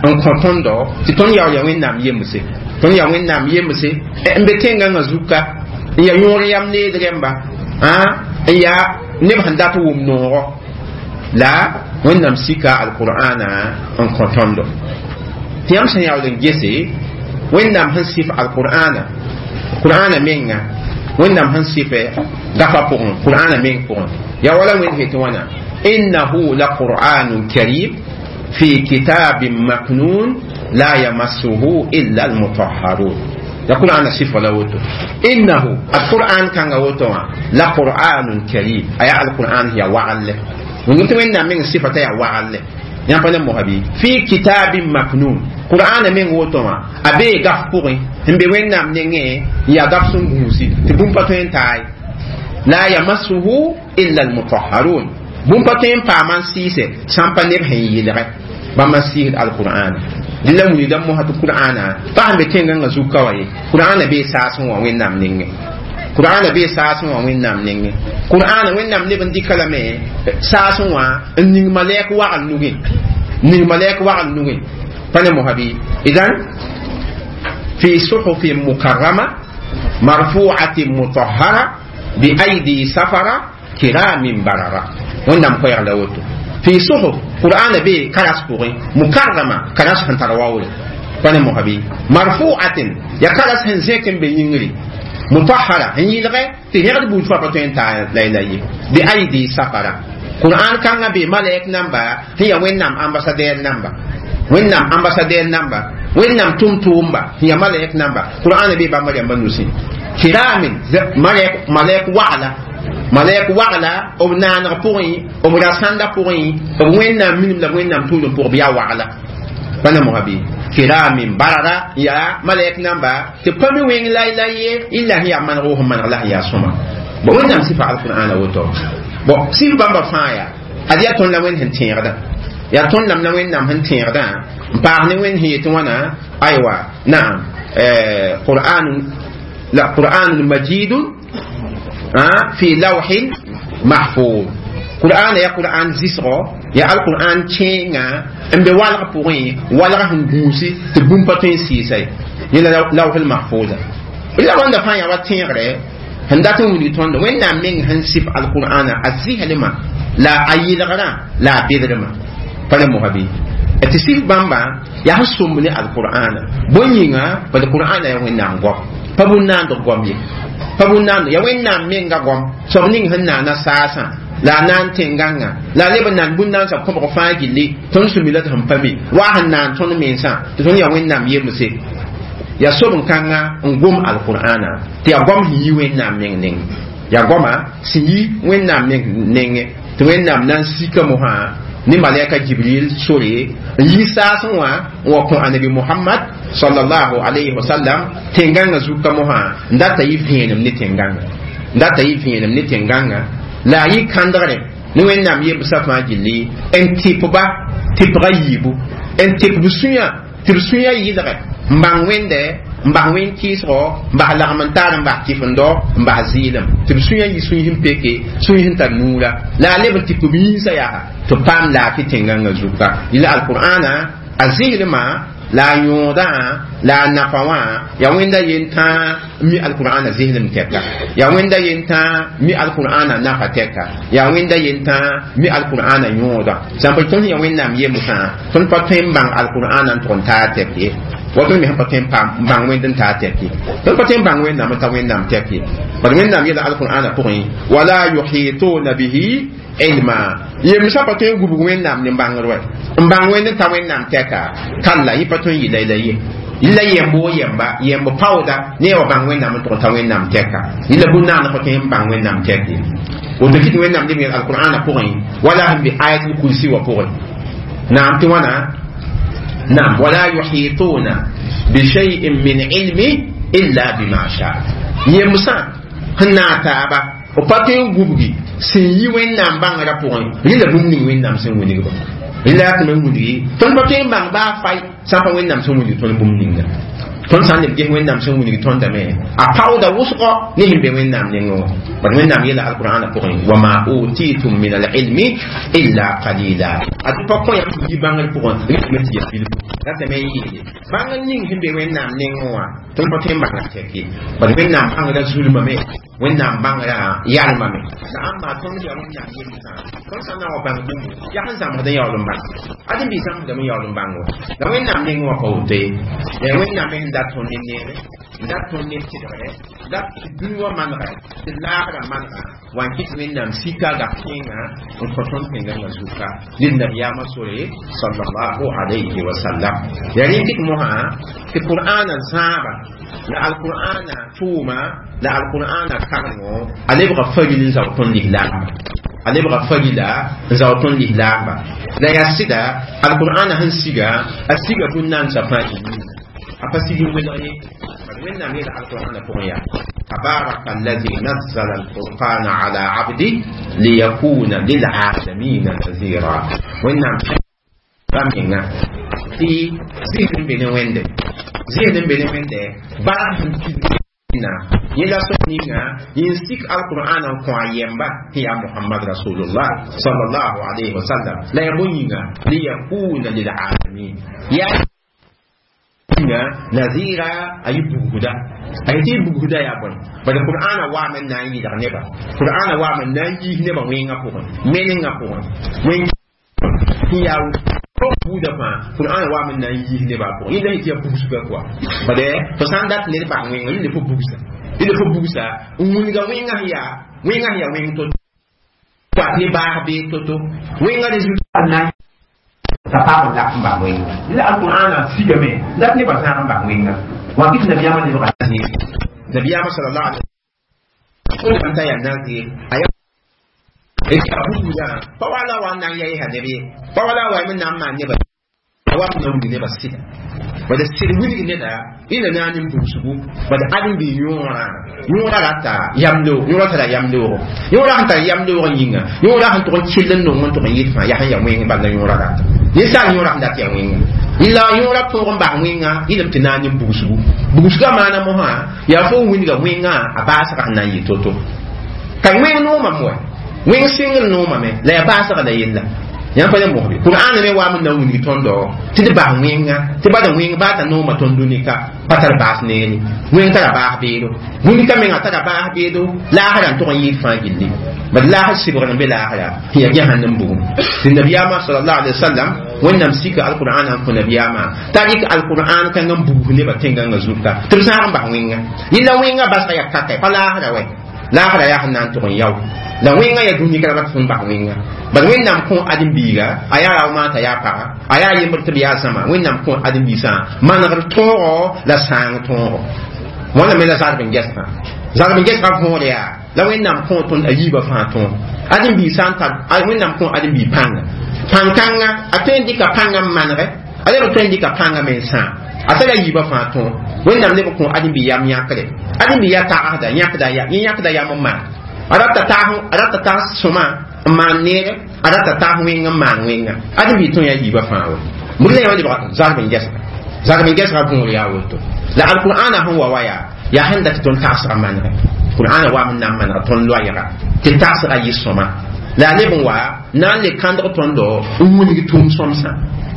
n kõ tõndo tɩ tõnd yaool yaa wẽnnaam yemse tõnd yaa wẽnnaam yemse n be tẽngãngã zuka n yaa yõor yam need rẽmba n yaa neb sẽn dat wʋm noogo la wẽnnaam sika alqur'ana n kõ tõndo tɩ yãmb sẽn yaool n gese wẽnnaam sẽn sɩf alqur'ana qur'ana menga wẽnnaam sẽn sɩfɛ gafa pʋgẽ qur'ana meng pʋgẽ yaa wala wẽnd fe tɩ wãna innahu la qur'anun karim في كتاب مكنون لا يمسه إلا المطهرون يقول أنا صفة لوتو إنه القرآن كان وتو لقرآن كريم أي القرآن هي وعلة ونقول وين من صفة يا وعلة يعني مهبي في كتاب مكنون قرآن من وتو أبي غفوري هم بوين نام نيجي يا غفسون غوسي تبون باتوين تاي لا يمسه إلا المطهرون bũmb pa tõe n paam n sɩɩsɛ sã n pa neb sẽn yɩlgɛ bãmb n sɩɩsd alqur'ana la wilgdame mosã tɩ qur'ana pa sẽn be tẽngãngã zuka wã ye qur'ana bee saasẽ wã wẽnnaam nengẽ Qur'ana be saasẽ wã Wẽnnaam nengẽ Qur'ana Wẽnnaam leb n dɩka lame saasẽ wã n ning malɛk wagl nugẽ ning malɛk wagl nugẽ pa ne mosa bɩ idan fi suhufin mukarrama marfu'atin mutahhara bi aidi safara kiramin barara Wẽnnaam koɛɛg la woto fi suhuf Qur'ana be karas pʋgẽ mukarrama karas sẽn tar waoore pa ne mosa bɩ marfu'atin ya karas sẽn zẽk n be yĩngri mutahhara n yɩlgɛ tɩ rẽgd buud fãa pa tõe n taa la la ye bi aidi safara Qur'an kãngã be malɛk namba sẽn yaa Wẽnnaam ambassadɛr namba Wẽnnaam ambassadɛr namba Wẽnnaam tʋm-tʋʋmba sẽn yaa malɛk namba Qur'an be bãmba rãmba nusẽ kiramin malɛk malɛk wagla malɛk wagla b naaneg pʋgẽ b rasãnda pʋgẽ b Wẽnnaam minim la b Wẽnnaam tʋʋlem pʋgẽ bɩ yaa wagla pa ne mosã bɩ kiramin barara yaa malɛk namba tɩ pa mi wẽng la la ye illa sẽn yaa maneg wʋsẽ maneg la sẽn yaa sõma bon Wẽnnaam sɩfa alqur'ana woto bon sɩf bãmba fãa yaa ad yaa tõnd la Wẽnd sẽn tẽegda yaa tõnd lam la Wẽnnaam sẽn tẽegdã n paas ne Wẽnd sẽn yetɩ wãna aywa naam qur'an la qur'anun majidun fi lawhin mahfuz Qur'an ya Qur'an zisgo ya alquran kẽenga n be walg pʋgẽ walg sẽn gũusi tɩ bũmb pa tõe n sɩɩsa ye yẽla lawhil mahfuza la wãnda fãa yaa wa tẽegre sẽn dat n wilg tõndo Wẽnnaam meng sẽn sɩf alqur'ana a zɩslmã la a yɩlgrã la a bedrmã pa ne mosã bɩ tɩ sɩf bãmba yaa sẽn sõmb ne alqur'ana bõe yĩnga bad qur'ana yaa Wẽnnaam goam pa bũn-naandg goam ye pa bũn-naand yaa Wẽnnaam menga goam soab ning sẽn naana saasã la a naan tẽn-gãngã la a leb n naan bũn-naansã kõbg fãa gilli tõnd sũ mi la tɩ sẽn pa mi wa sẽn naan tõnd mensã tɩ tõnd yaa Wẽnnaam yemse yaa sob-n-kãngã n gom alqur'ana tɩ yaa goam sẽn yi Wẽnnaam meng neng yaa goama sẽn yi Wẽnnaam meng nengẽ tɩ Wẽnnaam na n sika mosã ne malɛka Jibril sore n yi saasẽ wã n wa kõ anabi Mohamad sallallahu alayhi wa sallam tẽn-gãngã zuka mosã n data yɩ vẽenem ne tẽn-gãngã n data yɩ vẽenem ne tẽn-gãngã la a yɩ kãndgre ne Wẽnnaam yembsã fãa gilli n tɩpba tɩpga yiibu n tɩp b sũyã tɩ b sũyã yɩlgɛ n bãng Wẽnde n bas wẽn kɩɩsgo n bas lagm n taar n bas kɩfendo n bas zɩɩlem tɩ b sũyã yɩ sũy sẽn peke sũy sẽn tar nuura la a leb n tɩp b yĩnsã yaa tɩ paam laafɩ tẽn-gãngã zuka yɩla alqur'ana a zɩslmã la a yõodã la a nafa wã yaa Wẽnda yen tãa mi alqur'ana zɩslem tɛka yaa Wẽnda yen tãa mi alqur'ana nafa tɛka yaa Wẽnda yen tãa mi alqur'ana yõoda sã n pa tõnd yaa Wẽnnaam yemsã tõnd pa tõe n bãng alqur'ana n tʋg n taa tɛk ye wa tõnd me sẽn pa tõe n paam n bãng Wẽnd n taa tɛk ye tõnd pa tõe n bãng Wẽnnaam n ta Wẽnnaam tɛk ye bad Wẽnnaam yeela alqur'ana pʋgẽ wala yuhituna bihi ilma yemsã pa tõe n gubg Wẽnnaam ne bãngr wɛ n bãng Wẽnd n ta Wẽnnaam tɛka kalla yẽ pa tõe n yɩ la ye yɩla yemb wo yemba yemb paooda ne wa bãng Wẽnnaam n tʋg n ta Wẽnnaam tɛka yɩla bũn-naand pa tõe n bãng Wẽnnaam tɛk ye woto kɩt Wẽnnaam leb yel alqur'ana pʋgẽ wala sẽn be ayatul kursi wã pʋgẽ naam tɩ wãna naam wala yuhituna bishay'in min ilmi illa bima sha yemsã sẽn naag taaba b pa tõe n gubgi sẽn yi Wẽnnaam bãngrã pʋgẽ rɩla bũmb ning Wẽnnaam sẽn wilgba rɩla yaa tɩ me wilgi tõnd pa tõe n bãng baa fay sã n pa Wẽnnaam sẽn wilg tõnd bũmb ninga tõnd sã n leb ges Wẽnnaam sẽn wilg tõndame a paooda wʋsgɔ ne sẽn be Wẽnnaam nengẽ wã bad Wẽnnaam yeela alqur'ana pʋgẽ wama utitum min alilmi illa qalila a tɩ pa kõ yãmb tɩ yi bãngr pʋgẽ rɩtame tɩ ya bilfu ratame n yeele bãngr ning sẽn be Wẽnnaam nengẽ wã tõnd pa tõe n bãnga tɛk ye bad Wẽnnaam bãngrã zulmame Wẽnnaam bãngrã yalmame la ãmba tõnd yaa Wẽnnaam yemsã tõnd sã n na n wa bãng bũmb yaa sẽn zãmsd n yaool n bãng ad n bɩ zãmsdame n yaool n bãng wa la Wẽnnaam nengẽ wã pa woto ye la Wẽnnaam me sẽn dat tõnd ne neere n dat tõnd ne tɩdgre dat tɩ dũni wã manegɛ tɩ laagrã manega wa n kɩt Wẽnnaam sika gap kẽengã n kõ tõnd tẽn-gãngã zuka ned nabiyaamã sore sallallahu alayhi wa sallam yaa rẽ kɩt mosã tɩ qur'ana zãaba la alqur'ana tʋʋma la alqur'ana karengo a lebga faril n zao tõnd lislaamba a lebga farila n zao tõnd lislaamba la yaa sɩda alqur'ana sẽn siga a siga bũn-naandsã fãa a pa sig n welg ye bad Wẽnnaam yeela alqur'ana pʋgẽ yaa تبارك الذي نزل الفرقان على عبده ليكون للعالمين نذيرا وإنما رمينا في زيد بن ويند زيد بن ويند بعد Yẽla sor ninga yẽn sik alqur'an n kõ a yɛmba tɩ yaa Muhammad rasulullah sallallahu alayhi wa sallam la ya bõe yĩnga liyakuna lilalamin yaa yĩnga nazira a yɩ bugda a yetɩ y bugda yaa bõe bala qur'ana waame n na n yɩlg neba qur'ana waame n na n yiis nebã wẽngã pʋgẽ menengã pʋgẽ wẽn yaa buuda fãa qur'an waame n na n yiis nebã pʋgẽ yẽnda yetɩ yaa bugsga kɔa bala fo sã n dat ned bas wẽnga yẽnde fo bugsa yẽnde fo bugsa n wilga wẽngã sẽn yaa wẽngã sẽn yaa wẽng to-to wat ne baas bee to-to wẽngã résultat na t'a paam n lak n bas wẽnga la alqur'ana sigame dat nebã zãag n bas wẽnga wa kɩt nabiyaamã lebga nabiyaamã sallallahu alaihi wasallam t'a yaa nazir a yaa buguda pa wala wa nan yayi ha nebe pa wala wa min nan ma neba wa na wuli neba sida bada sid wilg neda ina na nin bugsugu bada adin bi yõora yõora rata yamloog yõora tara yamloogo yõora sẽn tar yamloog yĩnga yõora sẽn tʋg n kell n nong n tʋg n yɩt fãa yaa sẽn ya wẽng bala yõora rata ninsaal yõora sẽn dat yaa wẽnga la yõora tõog n bas wẽnga yẽlem tɩ na n bugsugu bugsgã maana mosã yaa fo n wilga wẽngã a baasgã sẽn na n yɩ to-to ka wẽng noomame wa wẽng sɩngr noomame la yaa baasga la yella yãmb pa le mosbe qur'an me waam n na n wilg tõndo tɩ d bas wẽnga tɩ bada wẽng baa t'a nooma tõnd dũnika pa tar baas neere wẽng tara baas beedo dũnika menga tara baas beedo laasra n tʋg n yɩɩd fãa gilli bad laasr sɩbgr n be laasra tɩ yaa jahannam bugum tɩ nabiyaamã salallahu alaihi wasallam wẽnnaam sika alqur'an n kõ nabiyaamã t'a rɩk alqur'an kãng n bugs nebã tẽngãngã zuka tɩ b zãag n bas wẽnga yella wẽnga basga yaa kaka pa laasra wɛ laasra yaa sẽn na n tʋg n yao la wẽnga yaa dũnika la bat sẽn bas wẽnga bad wẽnnaam kõ ãdem-biiga a yaa raomaa t'a yaa paga a yaa yembr tɩ b yaa zãma wẽnnaam kõ ãdem-biisã manegr tõogo la sãang tõogo wãna me la zarb n gɛsgã zarb n gɛsgã võor yaa la wẽnnaam kõ tõnd a yiibã fãa tõog ãdem-biig sã n tar wẽnnaam kõ ãdem-biig pãnga pãn-kãnga a tõe n dɩka pãngã n manegɛ a leb n tõe n dɩka pãngã me n sãam a tara yiibã fãa tõog wẽnnaam leb n kõ ãdem-biig yam yãkre ãdem-biig yaa tagsda yãkda yẽ yãkda yam n maan a rata taas a rata taas sõma n maan neere a rata taas wẽng n maan wẽnga ãdem-biig tõe yaa yiibã fãa wa bʋd la yã lebga zarb n gɛsga zarb n gɛsga võor yaa woto la alqur'ana sẽn wa wa yaa yaa sẽn dat tɩ tõnd tagsga manegɛ qur'ana waam n na n manega tõnd loɛɛga tɩ tagsga yɩ sõma la a leb n wa na n le kãndg tõndo n wilg tʋʋm sõmsã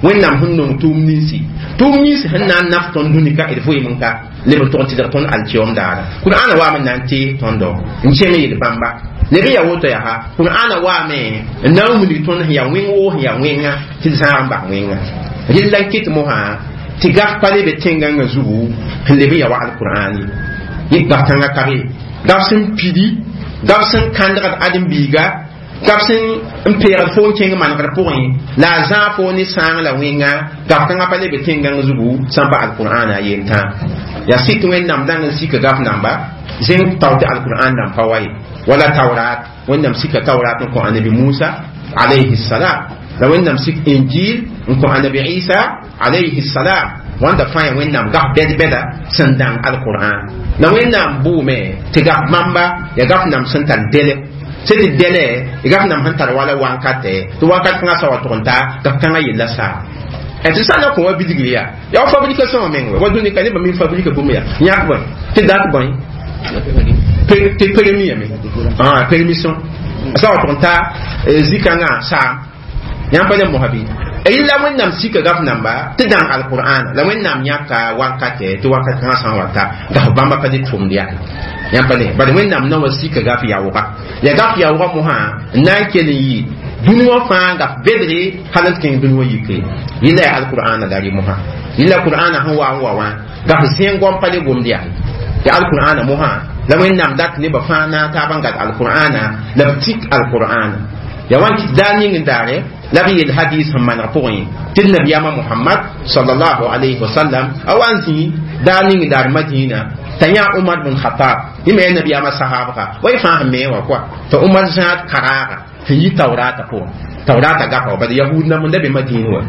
wẽnnaam sẽn nong tʋʋm ninsi tʋʋm ninsi sẽn na n naf tõnd dũnika d vɩɩm n ka leb n tʋg n tɩdg tõnd alkiom daara qur'ana waam n na n tees tõndo n kẽng yel bãmba leb n yaa woto yaa qur'ana waame n na n wilg tõnd sẽn yaa wẽng woo sẽn yaa wẽnga tɩ d zãag n bas wẽnga rella n kɩt mosã tɩ gaf pa lebe tẽngãngã zugu sẽn leb n ya wa alqur'an ye yẽ gaf kãngã ka be gaf sẽn pidi gaf sẽn kãndgd ãdem-biiga gaf sẽn n peegd fo n kẽng manegr pʋgẽ la a zãag fo ne sãang la wẽnga gaf kãngã pa lebe tẽngãng zugu sã n pa alqur'ana yentã yaa sɩt wẽnnaam dãng n sika gaf namba zẽng tao tɩ alqur'an dãmb pa wa ye wala taurat wẽnnaam sika taurat n kõ annabi musa alayhi salam la wẽnnaam sik injil n kõ annabi isa alayhi salam wãnda fãa yaa wẽnnaam gaf bɛd-bɛda sẽn dãng alqur'an la wẽnnaam bʋʋme tɩ gaf bãmba yaa gaf nam sẽn tar dɛlɛ sẽn tɩ dɛlɛ gaf nam sẽn tar wala wankatɛ tɩ wakat kãngã sa wa tʋg n taa gaf kãngã yella saa tɩ sã na kõ wa bilgr yaa yaa wa fabrication wã meng wa dũni ka nebã mi fabrika bũmb yaa yãk bõe tɩ dat bõe tɩ permis yame permission sa wa tʋg n taa zikãngã saam yãmb pa ne mosã bɩ yella wẽnnaam sika gaf namba tɩ dãng alqur'ana la wẽnnaam yãka wankatɛ tɩ wakat kãngã sã n wa ta gaf bãmba pa ne tʋmd yaa yãmb pa ne bala wẽnnaam na wa sika gaf yaoogã ya gaf yaoogã mosã n na n kell n yɩ dũni wã fãa gaf bedre hal n tɩ kẽng dũni wã yike yella yaa alqur'ana la rɩ mosã yella qur'ana sẽn wa n wa wã gaf zẽng goam pa le gomd yaa ya alqur'ana mosã la wẽnnaam dat nebã fãa na n taab n gad alqur'ana la b tik alqur'ana ya wan kɩt daar ning n daare la b yel hadis sẽn maneg pʋgẽ tɩ d nabiyaamã mohamad sallallahu alayhi wa sallam a wa n zĩ daar ning n daar madina t'a yã umar bn khatab yẽ me yaa nabiyaamã sahaabga wa y fãa sẽn me wã kɔa t'a umar zãad karaaga sẽn yi taurata pʋgẽ taurata gapa wa bad yahud nam n da be madin wã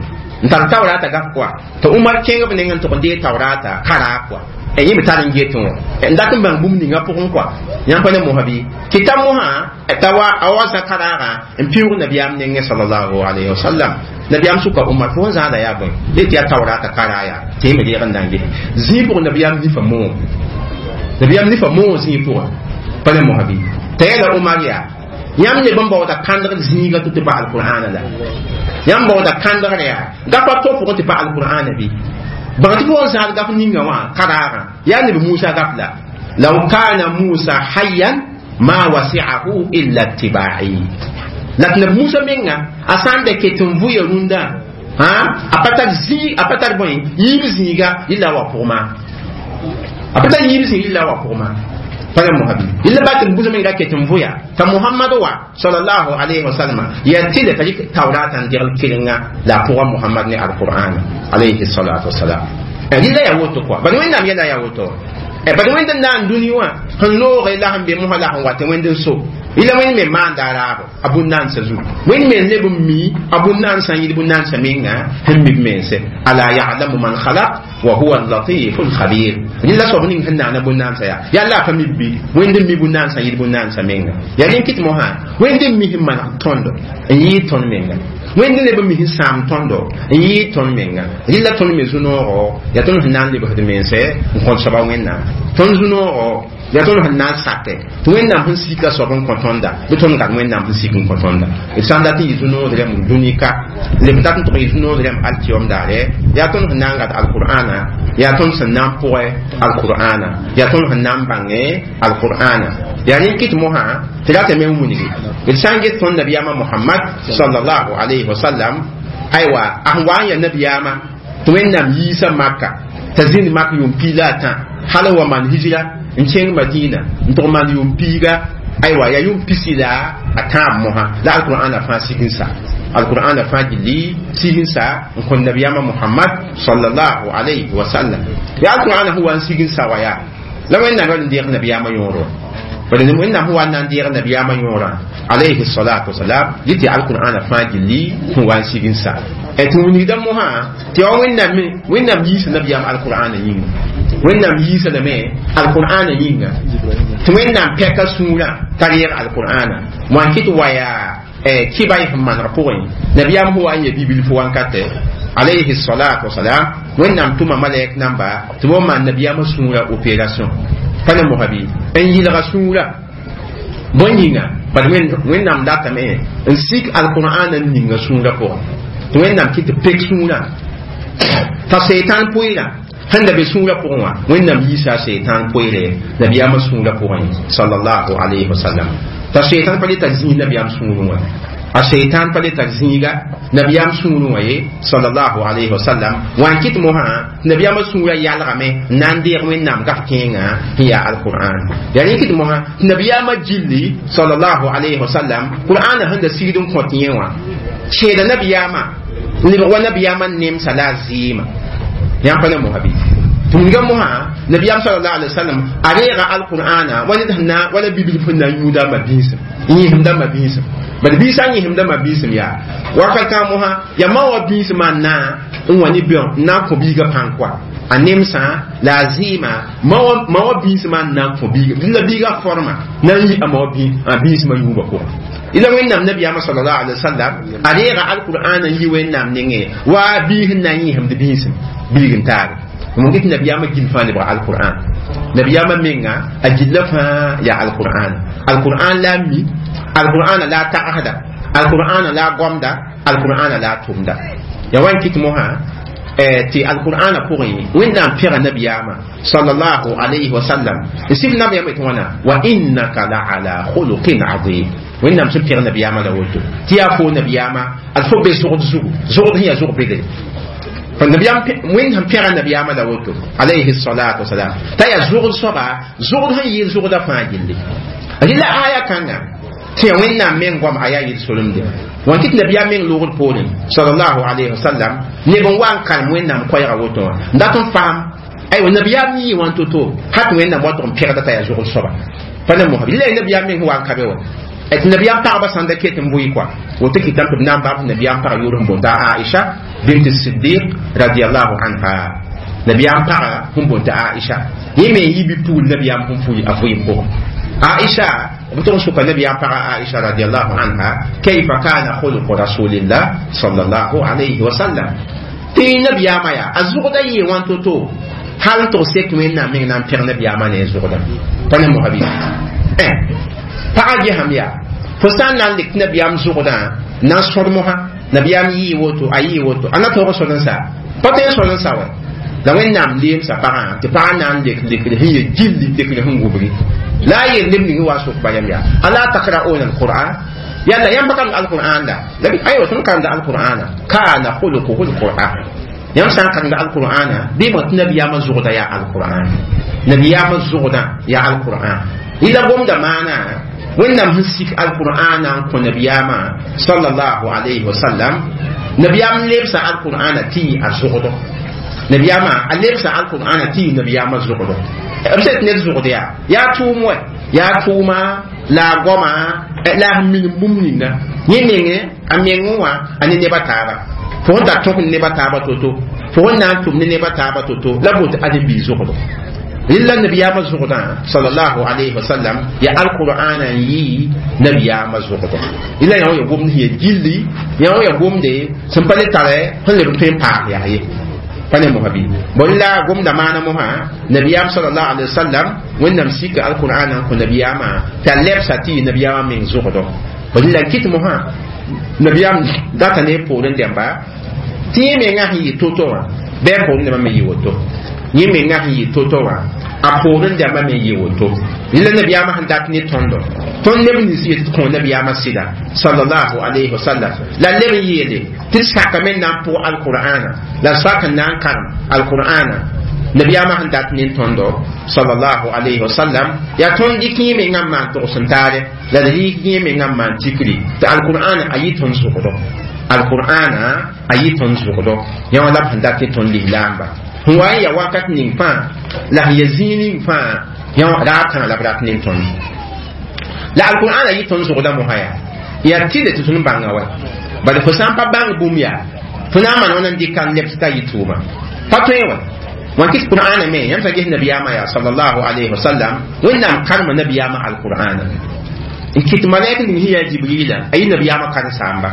n tar taurata gap kɔa t'a umar kẽng b neng n tʋg n dee taurata karaag kɔa yẽ me tar n get wã n dat n bãng bũmb ninga pʋgẽ kɔa yãmb pa ne mosã bɩ tɩ ta mosã t'a wa a wa zã karaagã n piʋʋg nabiyaam nengẽ salallahu alayhi wasallam nabiyaam sʋka umar fo sẽn zãada yaa bõe yetɩ yaa taurata karaa yaa tɩ yẽ me reeg n na n ges zĩig pʋgẽ nabiyaam nifa moom Nabiyaam nifa moog zĩig pʋgẽ pa ne mosã bɩ t'a yɛla Omar yaa yãmb leb n baooda kãndgd zĩiga tɩ tɩ pa alqur'ana la yãmb baooda kãndgr yaa gapa to pʋgẽ tɩ pa alqur'ana bɩ bãng tɩ fo n zãad gaf ninga wã ka raagã yaa neb Musa gaf la law kana Musa hayyan ma wasi'ahu illa ittiba'i la tɩ neb Musa menga a sã n da ket n vʋya rũndã a pa tar zĩig a pa tar bõe yiib zĩiga yella wa pʋg maa a pa tar yiib zĩig yella wa pʋg maa pa ne mosabi yella ba tɩ Musa menga ket n vʋya t'a Muhammad wa sallallahu alayhi wa sallam ya tɩle t'a yik taurata n degl kelenga la a pʋga Muhammad ne alqur'an alayhi salatu wasalam rɩla yaa woto kɔa bad wẽnnaam yɛla yaa woto bad wẽnd n na n dũni wã sẽn looge la sẽn be mosã la sẽn wat wẽnd n so yella wẽnd me maanda a raabo a bũn-naandsã zugu wẽnd me n leb n mi a bũn-naandsã n yɩl bũn-naandsã menga sẽn mi b mense ala ya'lamu man khalaq wa huwa al-latifu al-khabir yella soab ning sẽn naana bũn-naandsã yaa yalla a pa mi bi wẽnd n mi bũn-naandsã n yɩl bũn-naandsã menga yaa rẽn kɩt mosã wẽnd n mi sẽn maneg tõndo n yɩɩd tõnd menga wẽnd leb n mi sẽn sãam tõndo n yɩɩd tõnd menga rɩla tõnd me zu-noogo yaa tõnd sẽn na n lebsd mense n kõt soaba wẽnnaam tõnd zu-noogo yaa tõnd sẽn na n sake tɩ wẽnnaam sẽn sika soab n kõ tõnda bɩ tõnd gad wẽnnaam sẽn sik n kõ tõnda d sã n dat n yɩ zu-nood rẽmb dũni ka leb dat n tʋg yɩ zu-nood rẽmb alkiyom daare yaa tõnd sẽn na n gad alqur'ana yaa tõnd sẽn na n pʋgɛ alqur'ana yaa tõnd sẽn na n bãnge alqur'ana yaa rẽ kɩt mosã tɩ ratame n wilgi d sã n get tõnd nabiyaamã Muhammad sallallahu alayhi wa sallam aywa a sẽn wa n yaa nabiyaamã tɩ wẽnnaam yiisa Maka t'a zĩnd mak yʋʋm piig la a tã hal n wa maan hijra n kẽng Madina n tʋg maan yʋʋm piiga aywa yaa yʋʋm pisi la a tãab mosã la alqur'ana fãa sig n sa alqur'ana fãa gilli sig n sa n kõn nabiyaamã Muhammad sallallahu alayhi wa sallam yaa alqur'ana sẽn wa n sig n sa wa yaa la wẽnnaam yal n deeg nabiyaamã yõoro bala wẽnnaam sẽn wa n na n deeg nabiyaamã yõorã alayhi salatu wasalam yɩ tɩ alqur'ana fãa gilli sẽn wa n sig n sa tɩ wilgda mosã tɩ yaa wẽnnaam me wẽnnaam yiisa nabiyaam alqur'ana yĩnga wẽnnaam yiisa lame alqur'ana yĩnga tɩ wẽnnaam pɛka sũurã t'a reeg alqur'ana wã n kɩt wa yaa kɩba y sẽn maneg pʋgẽ nabiyaam sẽn wa n ya bibilf wankatɛ alayhi salatu wasalam wẽnnaam tʋma malɛk namba tɩ b maan nabiyaamã sũurã opération pa ne mosã bɩ n yɩlga sũurã bõe yĩnga bad wẽnnaam datame n sik alqur'ana n ninga sũurã pʋgẽ tɩ wẽnnaam kɩ tɩ pek sũurã t'a seitan pʋɩɩrã sẽn da be sũurã pʋgẽ wã wẽnnaam yiisa a seitan pʋɩɩre nabiyaamã sũurã pʋgẽ sallallahu alayhi wa sallam t'a seitan pa le tar zĩig nabiyaam sũurẽ wã a seitan pa le tar zĩiga nabiyaam sũurẽ wã ye sallallahu alayhi wa sallam wã n kɩt mosã nabiyaamã sũurã yalgame n na n deeg wẽnnaam gaf kẽengã sẽn yaa alqur'an yaa rẽ kɩt mosã tɩ nabiyaamã gilli sallallahu alayhi wa sallam qur'ana sẽn da sigd n kõt yẽ wã seeda nabiyaamã n lebg wa nabiyaamã nemsa la a zɩɩma yãmb pa ne mosã bɩ tɩ wilga mosã nabiyaam sallallahu alayhi wa sallam a reega alqur'ana wa ned sẽn na wala bibilf sẽn na n yũuda a ma-biisem n yẽsemda ma-biisem bad biisã n yẽsemda ma-biisem yaa wakat kãng mosã yaa ma wa biismã n na n wa ne bɛõ n na n kõ biigã pãng koa a nemsã la a zɩɩma ma wa biismã n na n kõ biiga la biigã forma na n yi a ma wa biismã yũubã pʋgẽ ila wẽnnaam nabiyaamã sallallahu alayhi wa sallam a reega alqur'ana n yi wẽnnaam nengẽ wa biis n na n yẽsemd biisem biig n taare mon get nabiyaamã gill fãa lebga alqur'an nabiyaamã menga a gilla fãa yaa alqur'an alqur'an la a mi alqur'ana la a tagsda alqur'ana la a gomda alqur'ana la a tʋmda yaa wa n kɩt mosã tɩ alqur'ana pʋgẽ wẽnnaam pẽga nabiyaamã sallallahu alayhi wa sallam n sɩf nabiyaamã tɩ wãna wa innaka la ala khuluqin azim wẽnnaam sẽn pẽg nabiyaamã la woto tɩ yaa fo nabiyaamã ad fo be zogd zugu zogd sẽn yaa zog bedre فالنبيام وين هم بيغا النبيام لا وتو عليه الصلاة والسلام تايا زغد صبا زغد هي زغد فاجل لا آية كان تي وين من قام آية يسولم دي وان كت نبيام من لوغ بولين صلى الله عليه وسلم نبون وان كان وين نام كويرا وتو ndاتون فام اي والنبيام يي وان توتو حتى وين نام واتون بيغا تايا زغد صبا فانا مو لا النبيام من هو ان كابيو et nabiyam pagba sãn da ket n bʋɩ kɔa woto kɩtame tɩ b na n bab nabiyam pag yʋʋr sẽn boonda Aisha bint Siddiq radiallahu anha nabiyam paga sẽn boonta Aisha yẽ me n yi bi-pugl nabiyam sẽn pʋɩ a vɩɩm pʋgẽ Aisha b tʋg n soka nabiyam paga Aisha radiallahu anha kayfa kana khuluqu rasulillah sallallahu alayhi wa sallam tɩ nabiyaamã yaa a zʋgda yee wãn to-to Hal n tog sek wẽnnaam meng na n pẽg nabiyaamã ne a zʋgdã pa ne mosã bɩ pagã gesame yaa fo sã n na n lek tɩ nabiyaam zʋgdã na n sõd mosã nabiyaam yɩɩ woto a yɩɩ woto a na tõog n sõd n sa pa tõe n sõd n sa wɛ la wẽnnaam leemsa pagã tɩ pagã na n lek lekd sẽn ye gilli lekd sẽn wubgi la a yel neb ning wa sok ba yam yaa ala takra'una alquran yalla yãmb pa karemd alqur'an la la aywa tõnd karemda alqur'ana kana khuluquhu alqur'an yãmb sã n karemda alqur'ana bɩ bõ tɩ nabiyaamã zʋgda yaa alqur'an nabiyaamã zʋgdã yaa alqur'an yɩla gomda maana wẽnnaam sẽn sik alqur'ana n kõ nabiyaamã sallallahu alayhi wa sallam nabiyaam lebsa alqur'ana tɩ yɩ a zʋgdo nabiyaamã a lebsa alqur'ana tɩ yɩ nabiyaamã zʋgdo b sẽn tɩ ned zʋgd yaa yaa tʋʋm wɛ yaa tʋʋma la a goama la a minim bũmb ninga yẽ menge a mengẽ wã a ne neba taaba fo sẽn tar tõk ne neba taaba to-to fo sẽn na n tʋm ne neba taaba to-to la boot ãdem-biig zʋgdo rɩla nabiyaamã zʋgdã sallallahu alayhi wa sallam ya alqur'ana n yɩ nabiyaamã zʋgdo rɩla yã wã ya gomd sẽn ya gilli yã wã ya gomde sẽn pa le tare sẽn leb n tõe n paas yaa ye pa ne mosã bɩ bõe la gomda maana mosã nabiyaam sallallahu alayhi wa sallam wẽnnaam sika alqur'ana n kõ nabiyaamã t'a lebsa tɩ yɩ nabiyaamã meng zʋgdo rɩla n kɩt mosã nabiyaam data ne poorẽ dẽmba tɩ yẽ mengã sẽn yɩ to-to wã bɩ a poorẽ dẽmbã me yɩ woto yẽ mengã sẽn yɩ to-to wã a poorẽ dẽmbã me yɩ woto rɩla nabiyaamã sẽn dat ne tõndo tõnd neb nins yet tɩ kõ nabiyaamã sɩda sallallahu alayhi wa sallam la leb n yeele tɩ d sakame n na n pʋg alqur'ana la sak n na n karem alqur'ana nabiyaamã sẽn dat ne tõndo sallallahu alayhi wa sallam yaa tõnd dɩk yẽ mengã n maan togs n taare la d rɩk yẽ mengã n maan tikri tɩ alqur'ana a yɩ tõnd zʋgdo alqur'ana a yɩ tõnd zʋgdo yã wã la b sẽn dat ne tõnd lislaamba sẽn wa n ya wakat ning fãa la sẽn ya zĩig ning fãa yã raab kãngã la b rat ne tõnd la alqur'ana yɩ tõnd zʋgda mosã yaa yaa tɩle tɩ tõnd bãnga wa bala fo sã n pa bãng bũmb yaa fo na n maan wãna n dɩka n lebs t'a yɩ tʋʋma pa tõe wã wã kɩt qur'ana me yãmb sã ges nabiyaamã yaa sallallahu alayhi wa sallam wẽnnaam karema nabiyaamã alqur'ana n kɩt malaik ning sẽn yaa jibrila a yɩ nabiyaamã karen-saamba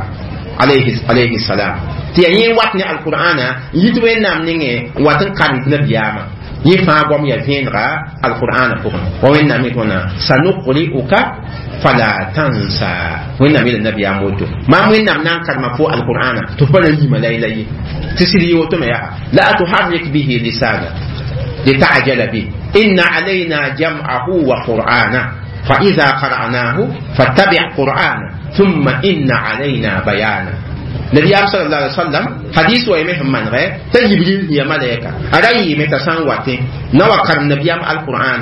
alayhi alayhi salam tɩ yaa yẽ wat ne alqur'ana n yit wẽnnaam nengẽ n wat n karemd nabiyaamã yẽ fãa goam yaa vẽenega alqur'ana pʋgẽ wa wẽnnaam yet wãna sanuqri'uka fala tansa wẽnnaam yeela nabiyaam woto maam wẽnnaam na n karema fo alqur'ana tɩ f pa na n yima la la ye tɩ sɩd yɩ woto me yaa la tuharrik bihi lisana lita'jala bih inna alayna jam'ahu wa qur'ana فإذا قرأناه فاتبع قرآنه ثم إن علينا بيانه نبي صلى الله عليه وسلم حديث ويمه من غير تجبريل هي ملائكة أرأي متى واتي نوا كرم نبي القرآن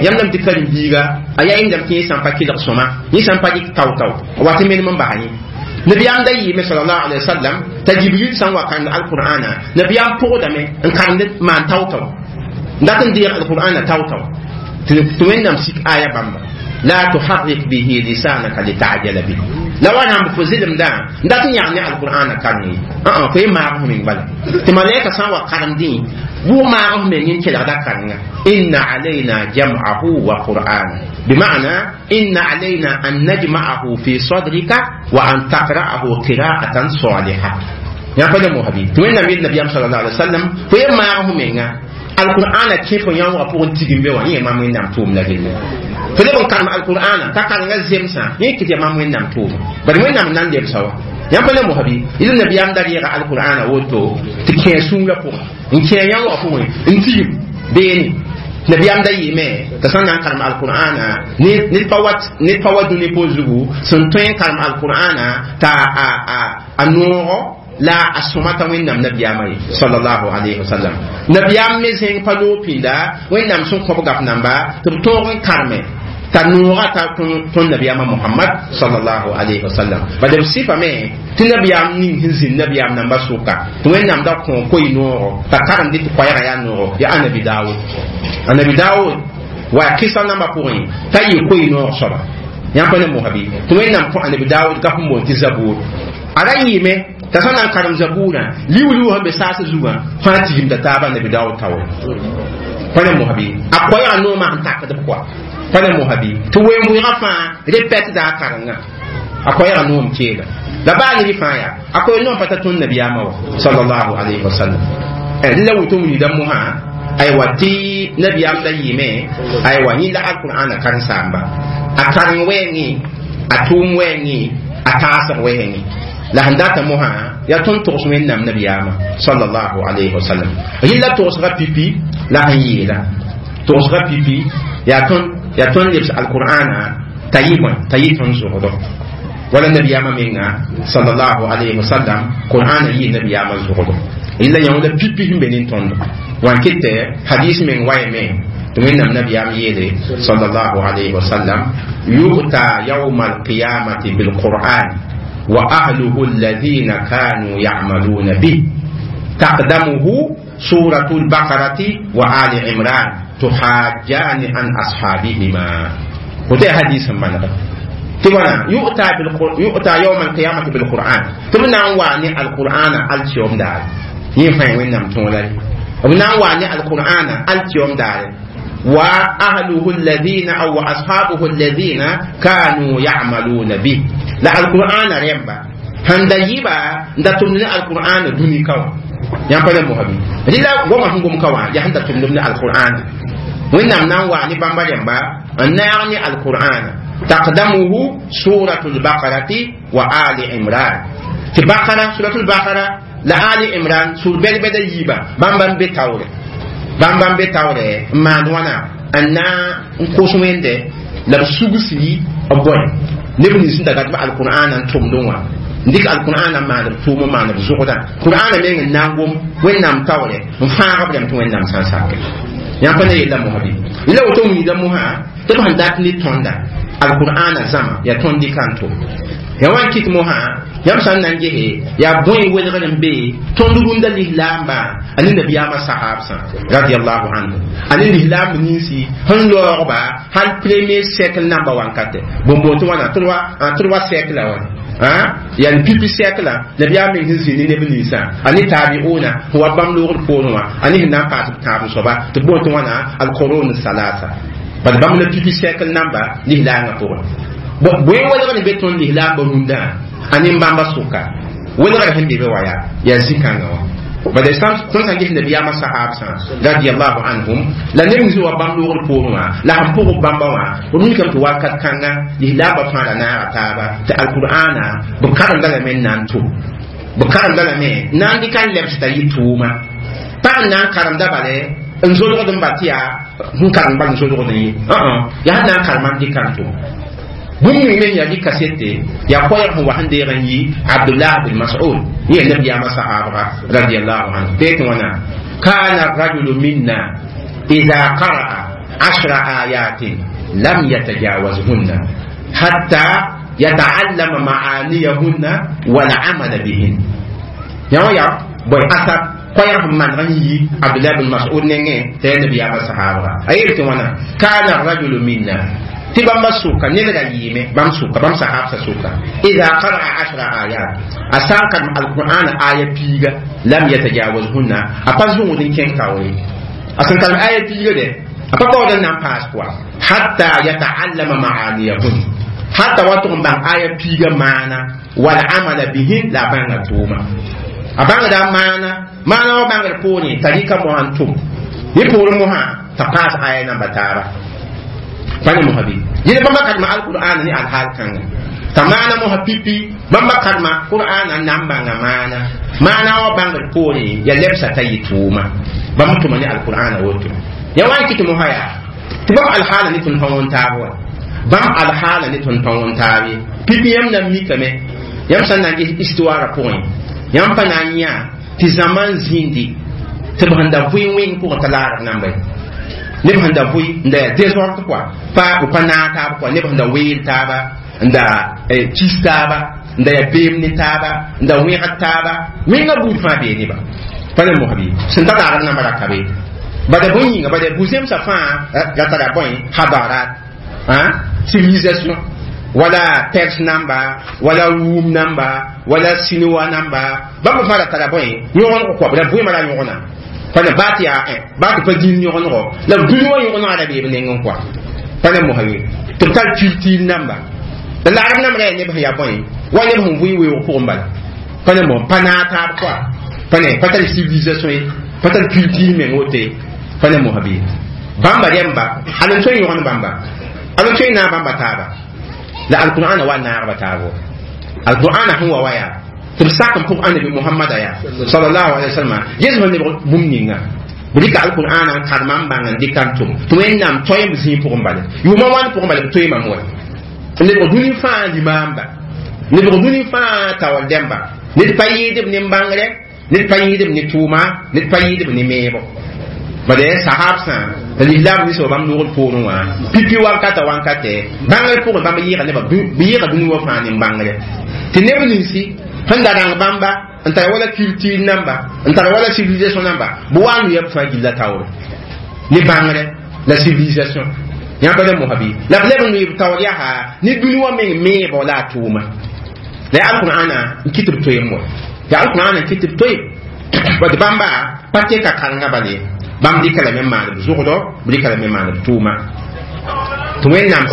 يم نم تكلم بيغا أيا إن دم كي سامبا كي لقسما ني سامبا كي تاو تاو واتي من من بهاني نبي أم داي صلى الله عليه وسلم تجبريل سان وكان القرآن نبي أم بودا مي إن كان ما تاو تاو لكن دي القرآن تاو تاو توين نمسك آية بامبا لا تحرك به لسانك لتعجل به لو انا مفزلم دا دا يعني القران كان اه في ما هم من بلا تمالك سان وقرن دين بو ما هم من ينكل دا كان ان علينا جمعه وقران بمعنى ان علينا ان نجمعه في صدرك وان تقراه قراءه صالحه يا فلم حبيب توين النبي صلى الله عليه وسلم في ما هم من القرآن كيف يوم أبون تيجين بيوان يه ما من نام توم لكن فلبن كان القرآن تكان غزيم سا يه كتير ما من نام توم بل من نام نان دير سوا يام فلم مهبي إذا النبي أم داري القرآن وتو تكين سونغ بو إن كين يوم أبون إن تيم بيني نبي أم داري مي تسان نان كان القرآن ني ني فوات ني فوات دوني بوزو سنتين كان القرآن تا ا ا أنورو la a sõmata wẽnnaam nabiyaamã ye sallallahu alayhi wa sallam nabiyaam me zẽng pa loog pĩnda wẽnnaam sẽn kõb gaf namba tɩ b tõog n karme t'a noogã ta tõnd nabiyaamã mohamad sallallahu alayhi wa sallam bala b sɩfame tɩ nabiyaam ning sẽn zĩnd nabiyaam namba sʋka tɩ wẽnnaam da kõ koy-noogo t'a karemdɩ tɩ koɛɛgã yaa noogo yaa anabi daawud anabi daawud wa kɩsa nambã pʋgẽ t'a yɩ koy-noog soaba yãmb pa ne mosã bɩ tɩ wẽnnaam kõ anabi daawud gaf n boond tɩ zabuur a ra yɩɩme t'a sã na n karem zabuurã liu-liu sẽn be saas zugã fãa tigimda taaba nabi daawud taoore pa ne mosã bɩ a koɛɛgã noomã sẽn takd b kɔa pa ne mosã bɩ tɩ wen-bʋɩgã fãa repɛtda a karenga a koɛɛgã noom keega la baa neb fãa yaa a koɛ noom pa ta tõnd nabiyaamã wa sallallahu alayhi wa sallam la woto wilgda mosã Aywa tɩ nabiyaam da yɩɩme aywa yẽ la alqur'ana karen-saamba a kareng wɛɛngẽ a tʋʋm wɛɛngẽ a taasg wɛɛngẽ la sẽn data mosã yaa tõnd togs wẽnnaam nabiyaamã sallallahu alayhi wa sallam rɩla togsga pipi la sẽn yeela togsga pipi yaa tõnd yaa tõnd lebs alqur'ana t'a yɩ bõe t'a yɩ tõnd zʋgdo wala nabiyaamã menga sallallahu alayhi wa sallam qur'ana yɩ nabiyaamã zʋgdo rɩla yã la pipi sẽn be nin-tõndo wan kɩtɛ hadis meng wayame tɩ wẽnnaam nabiyaam yeele sallallahu alayhi wa sallam yu'ta yawma alqiyamati bilqur'an wa ahluhu alladhina kanu ya'maluna bih taqdamuhu suratu albaqarati wa ali imran tuhajjani an ashabihima woto hadis n manega tɩ wãna yu'ta yu'ta yawma alqiyamati bilqur'an tɩ b na n waa ne alqur'ana altiyom daare yẽ fãa wẽnnaam tõola ye b na n waa ne alqur'ana altiyom daare wa ahluhu alladhina aw wa ashabuhu alladhina kanu ya'maluna bih la alqur'ana rẽmba sẽn da yɩba n da tʋmd ne alqur'ana dũni ka wã yãmb pa le mosã bɩ rɩla goamã sẽn gom ka wã yaa sẽn da tʋmdb ne alqur'ana wẽnnaam na n waa ne bãmba rẽmba n naag ne alqur'ana taqdamuhu suratu lbaqarati wa ali imran tɩ bakara suratu lbaqara la ali imran sur bɛd-bɛda yiiba bãmba n be taoore bãmba n be taoore n maand wãna n na n kos wẽnde la b sugsi b bõe neb nins sẽn da gat b alqur'ana n tʋmdẽ wã n dɩk alqur'ana n maan b tʋʋm n maan b zʋgdã qur'ana meng n na n gom wẽnnaam taoore n fãag b rãmb tɩ wẽnnaam sã n sake yãmb pa ne yella mosã bɩ la woto wilda mosã tɩ b sẽn dat ne tõnda alqur'ana zãma yaa tõnd dɩka n tʋm ya wan kɩt mosã yãmb sã n na n gese yaa bõe welgr n be tõnd rũndã lislaambã a ne nabiyaamã sahaabsã radiallahu anhu a ne lislaamb ninsi sẽn laoogba hal premier siècle namba wankate bõn-boon tɩ wãna trois siècle wã yani pipi siècle nabiyaam meng sẽn zĩ ne neb ninsã a ne tabiuna sẽn wa bãmb loogd poorẽ wã a ne sẽn na n paas b tãab soaba tɩ b boon tɩ wãna alqurun salasa bad bãmb la pipi siècle namba lislaangã pʋgẽ bõe welgr n be tõnd lislaambã rũndã a ne bãmba sʋka welgr sẽn be be wa yaa yaa zĩ-kãngã wã bad tõnd sã n ges nabiyaamã sahaabsã radiallahu anhum la neb nins wa bãmb loogd poorẽ wã la sẽn pʋgb bãmba wã b mikame tɩ wakat kãnga lislaambã fãa ra naaga taaba tɩ alqur'ana b karemda lame n na n tʋm b karemda lame n na n dɩka n lebs t'a yɩ tʋʋma pag n na n karemda bale n zolgd n ba tɩ yaa sẽn karem bal n zolgd n ye yaa sẽn na n karema n dɩka n tʋm bũmb ning me yaa kasete yaa koɛɛg sẽn wa sẽn deeg n yi abdullah bin mas'ud yẽ nabiyaamã sahaabga radiallahu anhu tɩ tɩ wãna kana rajulu minna ida qara'a ashra ayatin lam yatajawazhunna hatta yata'allama ma'aniyahunna wal amala bihin yã wã yaa bõe asab koɛɛg sẽn maneg n yi abdullah bin mas'ud nengẽ t'a yaa nabiyaamã sahaabga a yeel tɩ wãna kana rajulu minna tɩ bãmba sʋka ned ra yɩɩme bãmb sʋka bãmb sahaabsã sʋka ida qara'a ashra ayat a sã n karem alqur'ana aya piiga lam yatajawazhunna a pa zũud n kẽng taoore a sẽn karem aya piiga dɛ a pa baood n na n paas pʋga hatta yataallama maaniyahun hatta wa tʋg n bãng aya piiga maana wal amala bihin la a bãnga tʋʋma a bãngda maana maana wa bãngd poorẽ t'a rɩka mosã n tʋm yẽ poorẽ mosã t'a paas aya namba taaba pa ne mosã bɩ yẽl bãmba karema alqur'ana ne alhaal kãnga t'a maana mosã pipi bãmba karema qur'ana n na n bãnga maana maana wa bãngd poorẽ ya lebsa t'a yɩ tʋʋma bãmb tʋma ne alqur'ana woto ya wa n kɩt mosã yaa tɩ bãmb alhaala ne tõnd pa wõn taab wa bãmb alhaala ne tõnd pa wõn taab ye pipi yãmb na n mikame yãmb sã n na n ges histoire pʋgẽ yãmb pa na n yã tɩ zãma n zĩndi tɩ b sẽn da vʋɩ wẽng pʋgẽ t'a laarg namba ye neb sẽn da vʋɩ n da yaa désordre quoi pa b pa naag taab quoi neb sẽn da weel taaba n da kis taaba n da yaa beem ne taaba n da wẽgd taaba wẽnga buud fãa bee neba pa ne mosã bɩ sẽn ta laagd namba ra ka be bada bõe yĩnga bada bu-zẽmsã fãa ra tara bõe hadarat civilisation wala Perse namba wala Rum namba wala Sinoa namba bãmb fãa ra tara bõe yõgengo kɔa la bʋɩmã ra yõgna pa ne baa tɩ yaa baa tɩ pa dĩn yõgenego la dũni wã yõgenegã ra bee b nengẽ kɔa pa ne mosã ye tɩ b tar culture namba la laarb namba ra yaa neb sẽn yaa bõe wa neb sẽn vʋɩ weoog pʋgẽ bala pa ne mosã pa naag taab kɔa pa ne pa tar civilisation ye pa tar culture meng woto ye Pa ne mosã bɩ bãmba rẽmba hal n tõe n yõgen bãmba, hal n tõe n naag bãmba taaba la alqur'ana wa naagba taabo. Alqur'ana sẽn wa wa yaa tɩ b sak n pʋg annabi Mohamada yaa sallallahu alaihi wasallam yes sẽn lebg bũmb ninga b rɩka alqur'ana n karema n bãng n dɩka n tʋm tɩ Wẽnnaam toeem b zĩig pʋgẽ bale, yʋʋmã wãn pʋgẽ bale b toeemame wa n lebg dũni fãa limaamba, n lebg dũni fãa taoor dẽmba. Ned pa yɩɩdb ne bãngre, ned pa yɩɩdb ne tʋʋma, ned pa yɩɩdb ne meebo. Bade sahab sã la lislaam ninsã wa bãmb nogd poorẽ wã pipi wankata wankatɛ bãngr pʋgẽ bãmb yɩɩga nebã b yɩɩga dũni wã fãa nin bãngre tɩ neb ninsi sẽn da rãng bãmba n tara wala culture namba, n tara wala civilisation namba, b wa n yɛb fãa gilla taoore ne bãngre la civilisation yãmb pa mosã bɩ la b leb n loe b taoor yaa ne dũni wã meng meebo la a tʋʋma la yaa alqur'ana n kɩt b toeem wa, yaa alqur'ana n kɩt b toeem. Bad bãmba pa teka karenga bale, bãmb dɩka lame n maan b zʋgdɔ, b dɩka lame n maan b tʋʋma tɩ Wẽnnaam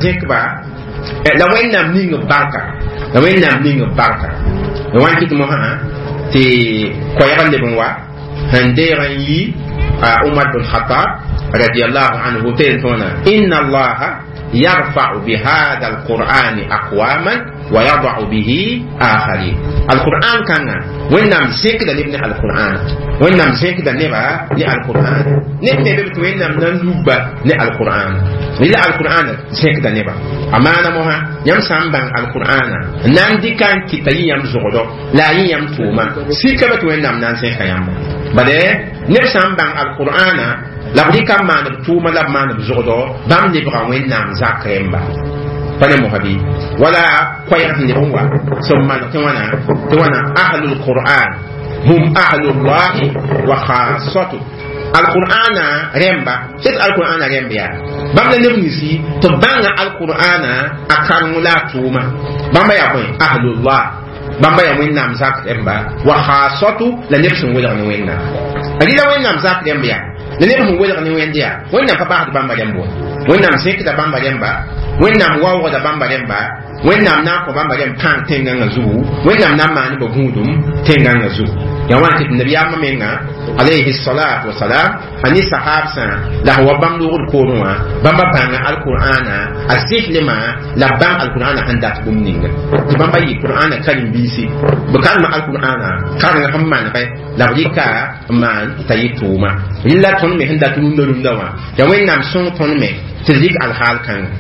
zẽkba la Wẽnnaam ning b barka, la Wẽnnaam ning b barka la wã n kɩt mosã tɩ koɛɛg n leb n wa sẽn deeg n yi Umar bin Khatab radiallahu anhu tɩ n tõona inna allaha يرفع بهذا القرآن أقواما ويضع به آخرين. القرآن كان وين زيك دا نبني القرآن، وين زيك دا نبا ني القرآن نبني بيبت، وين نلوبا ني القرآن إلا القرآن زيك دا نبا أمانة موها يم سامبان القرآن ناندي كان كتاي يم زغدو لا يم توما سيكا بت وين نان زيك يم بده نب سامبان القرآن la b rɩka n maan b tʋʋma la b maan b zʋgdɔ bãmb lebga Wẽnnaam zak rẽmba. Pa ne mosã bɩ wala koɛɛg sẽn leb n wa sẽn maneg tɩ wãna tɩ wãna ahlul qur'an hum ahlullahi wa khasatu alqur'ana rẽmba sẽd alqur'ana rẽmb yaa bãmb la neb ninsi tɩ b bãnga alqur'ana a kareng la a tʋʋma bãmba yaa bõe ahlullah, bãmba yaa Wẽnnaam zak rẽmba wa khasatu la neb sẽn welg ne Wẽnnaam rɩla Wẽnnaam zak rẽmb yaa la neb sẽn welg ne Wẽnd yaa Wẽnnaam pa basd bãmba rẽmb wa, Wẽnnaam zẽkda bãmba rẽmba, Wẽnnaam waoogda bãmba rẽmba, Wẽnnaam na n kõ bãmba rẽmb pãang tẽngãngã zugu, Wẽnnaam na n maan ba gũudum tẽngãngã zugu. Yaa wãn tɩ nabiyaamã menga alayhi salatu wasalam a ne sahabsã la sẽn wa bãmb loogd poorẽ wã bãmba bãnga alqur'ana a zɩslmã la b bãng alqur'ana sẽn dat bũmb ninga tɩ bãmba yɩ qur'ana karen-biisi b karema alqur'ana karenga sẽn manegɛ la b rɩka n maan t'a yɩ tʋʋma rɩla tõnd me sẽn dat rũndã rũndã wã yaa Wẽnnaam sõng tõnd me tɩ d rɩk alhaal kãnga.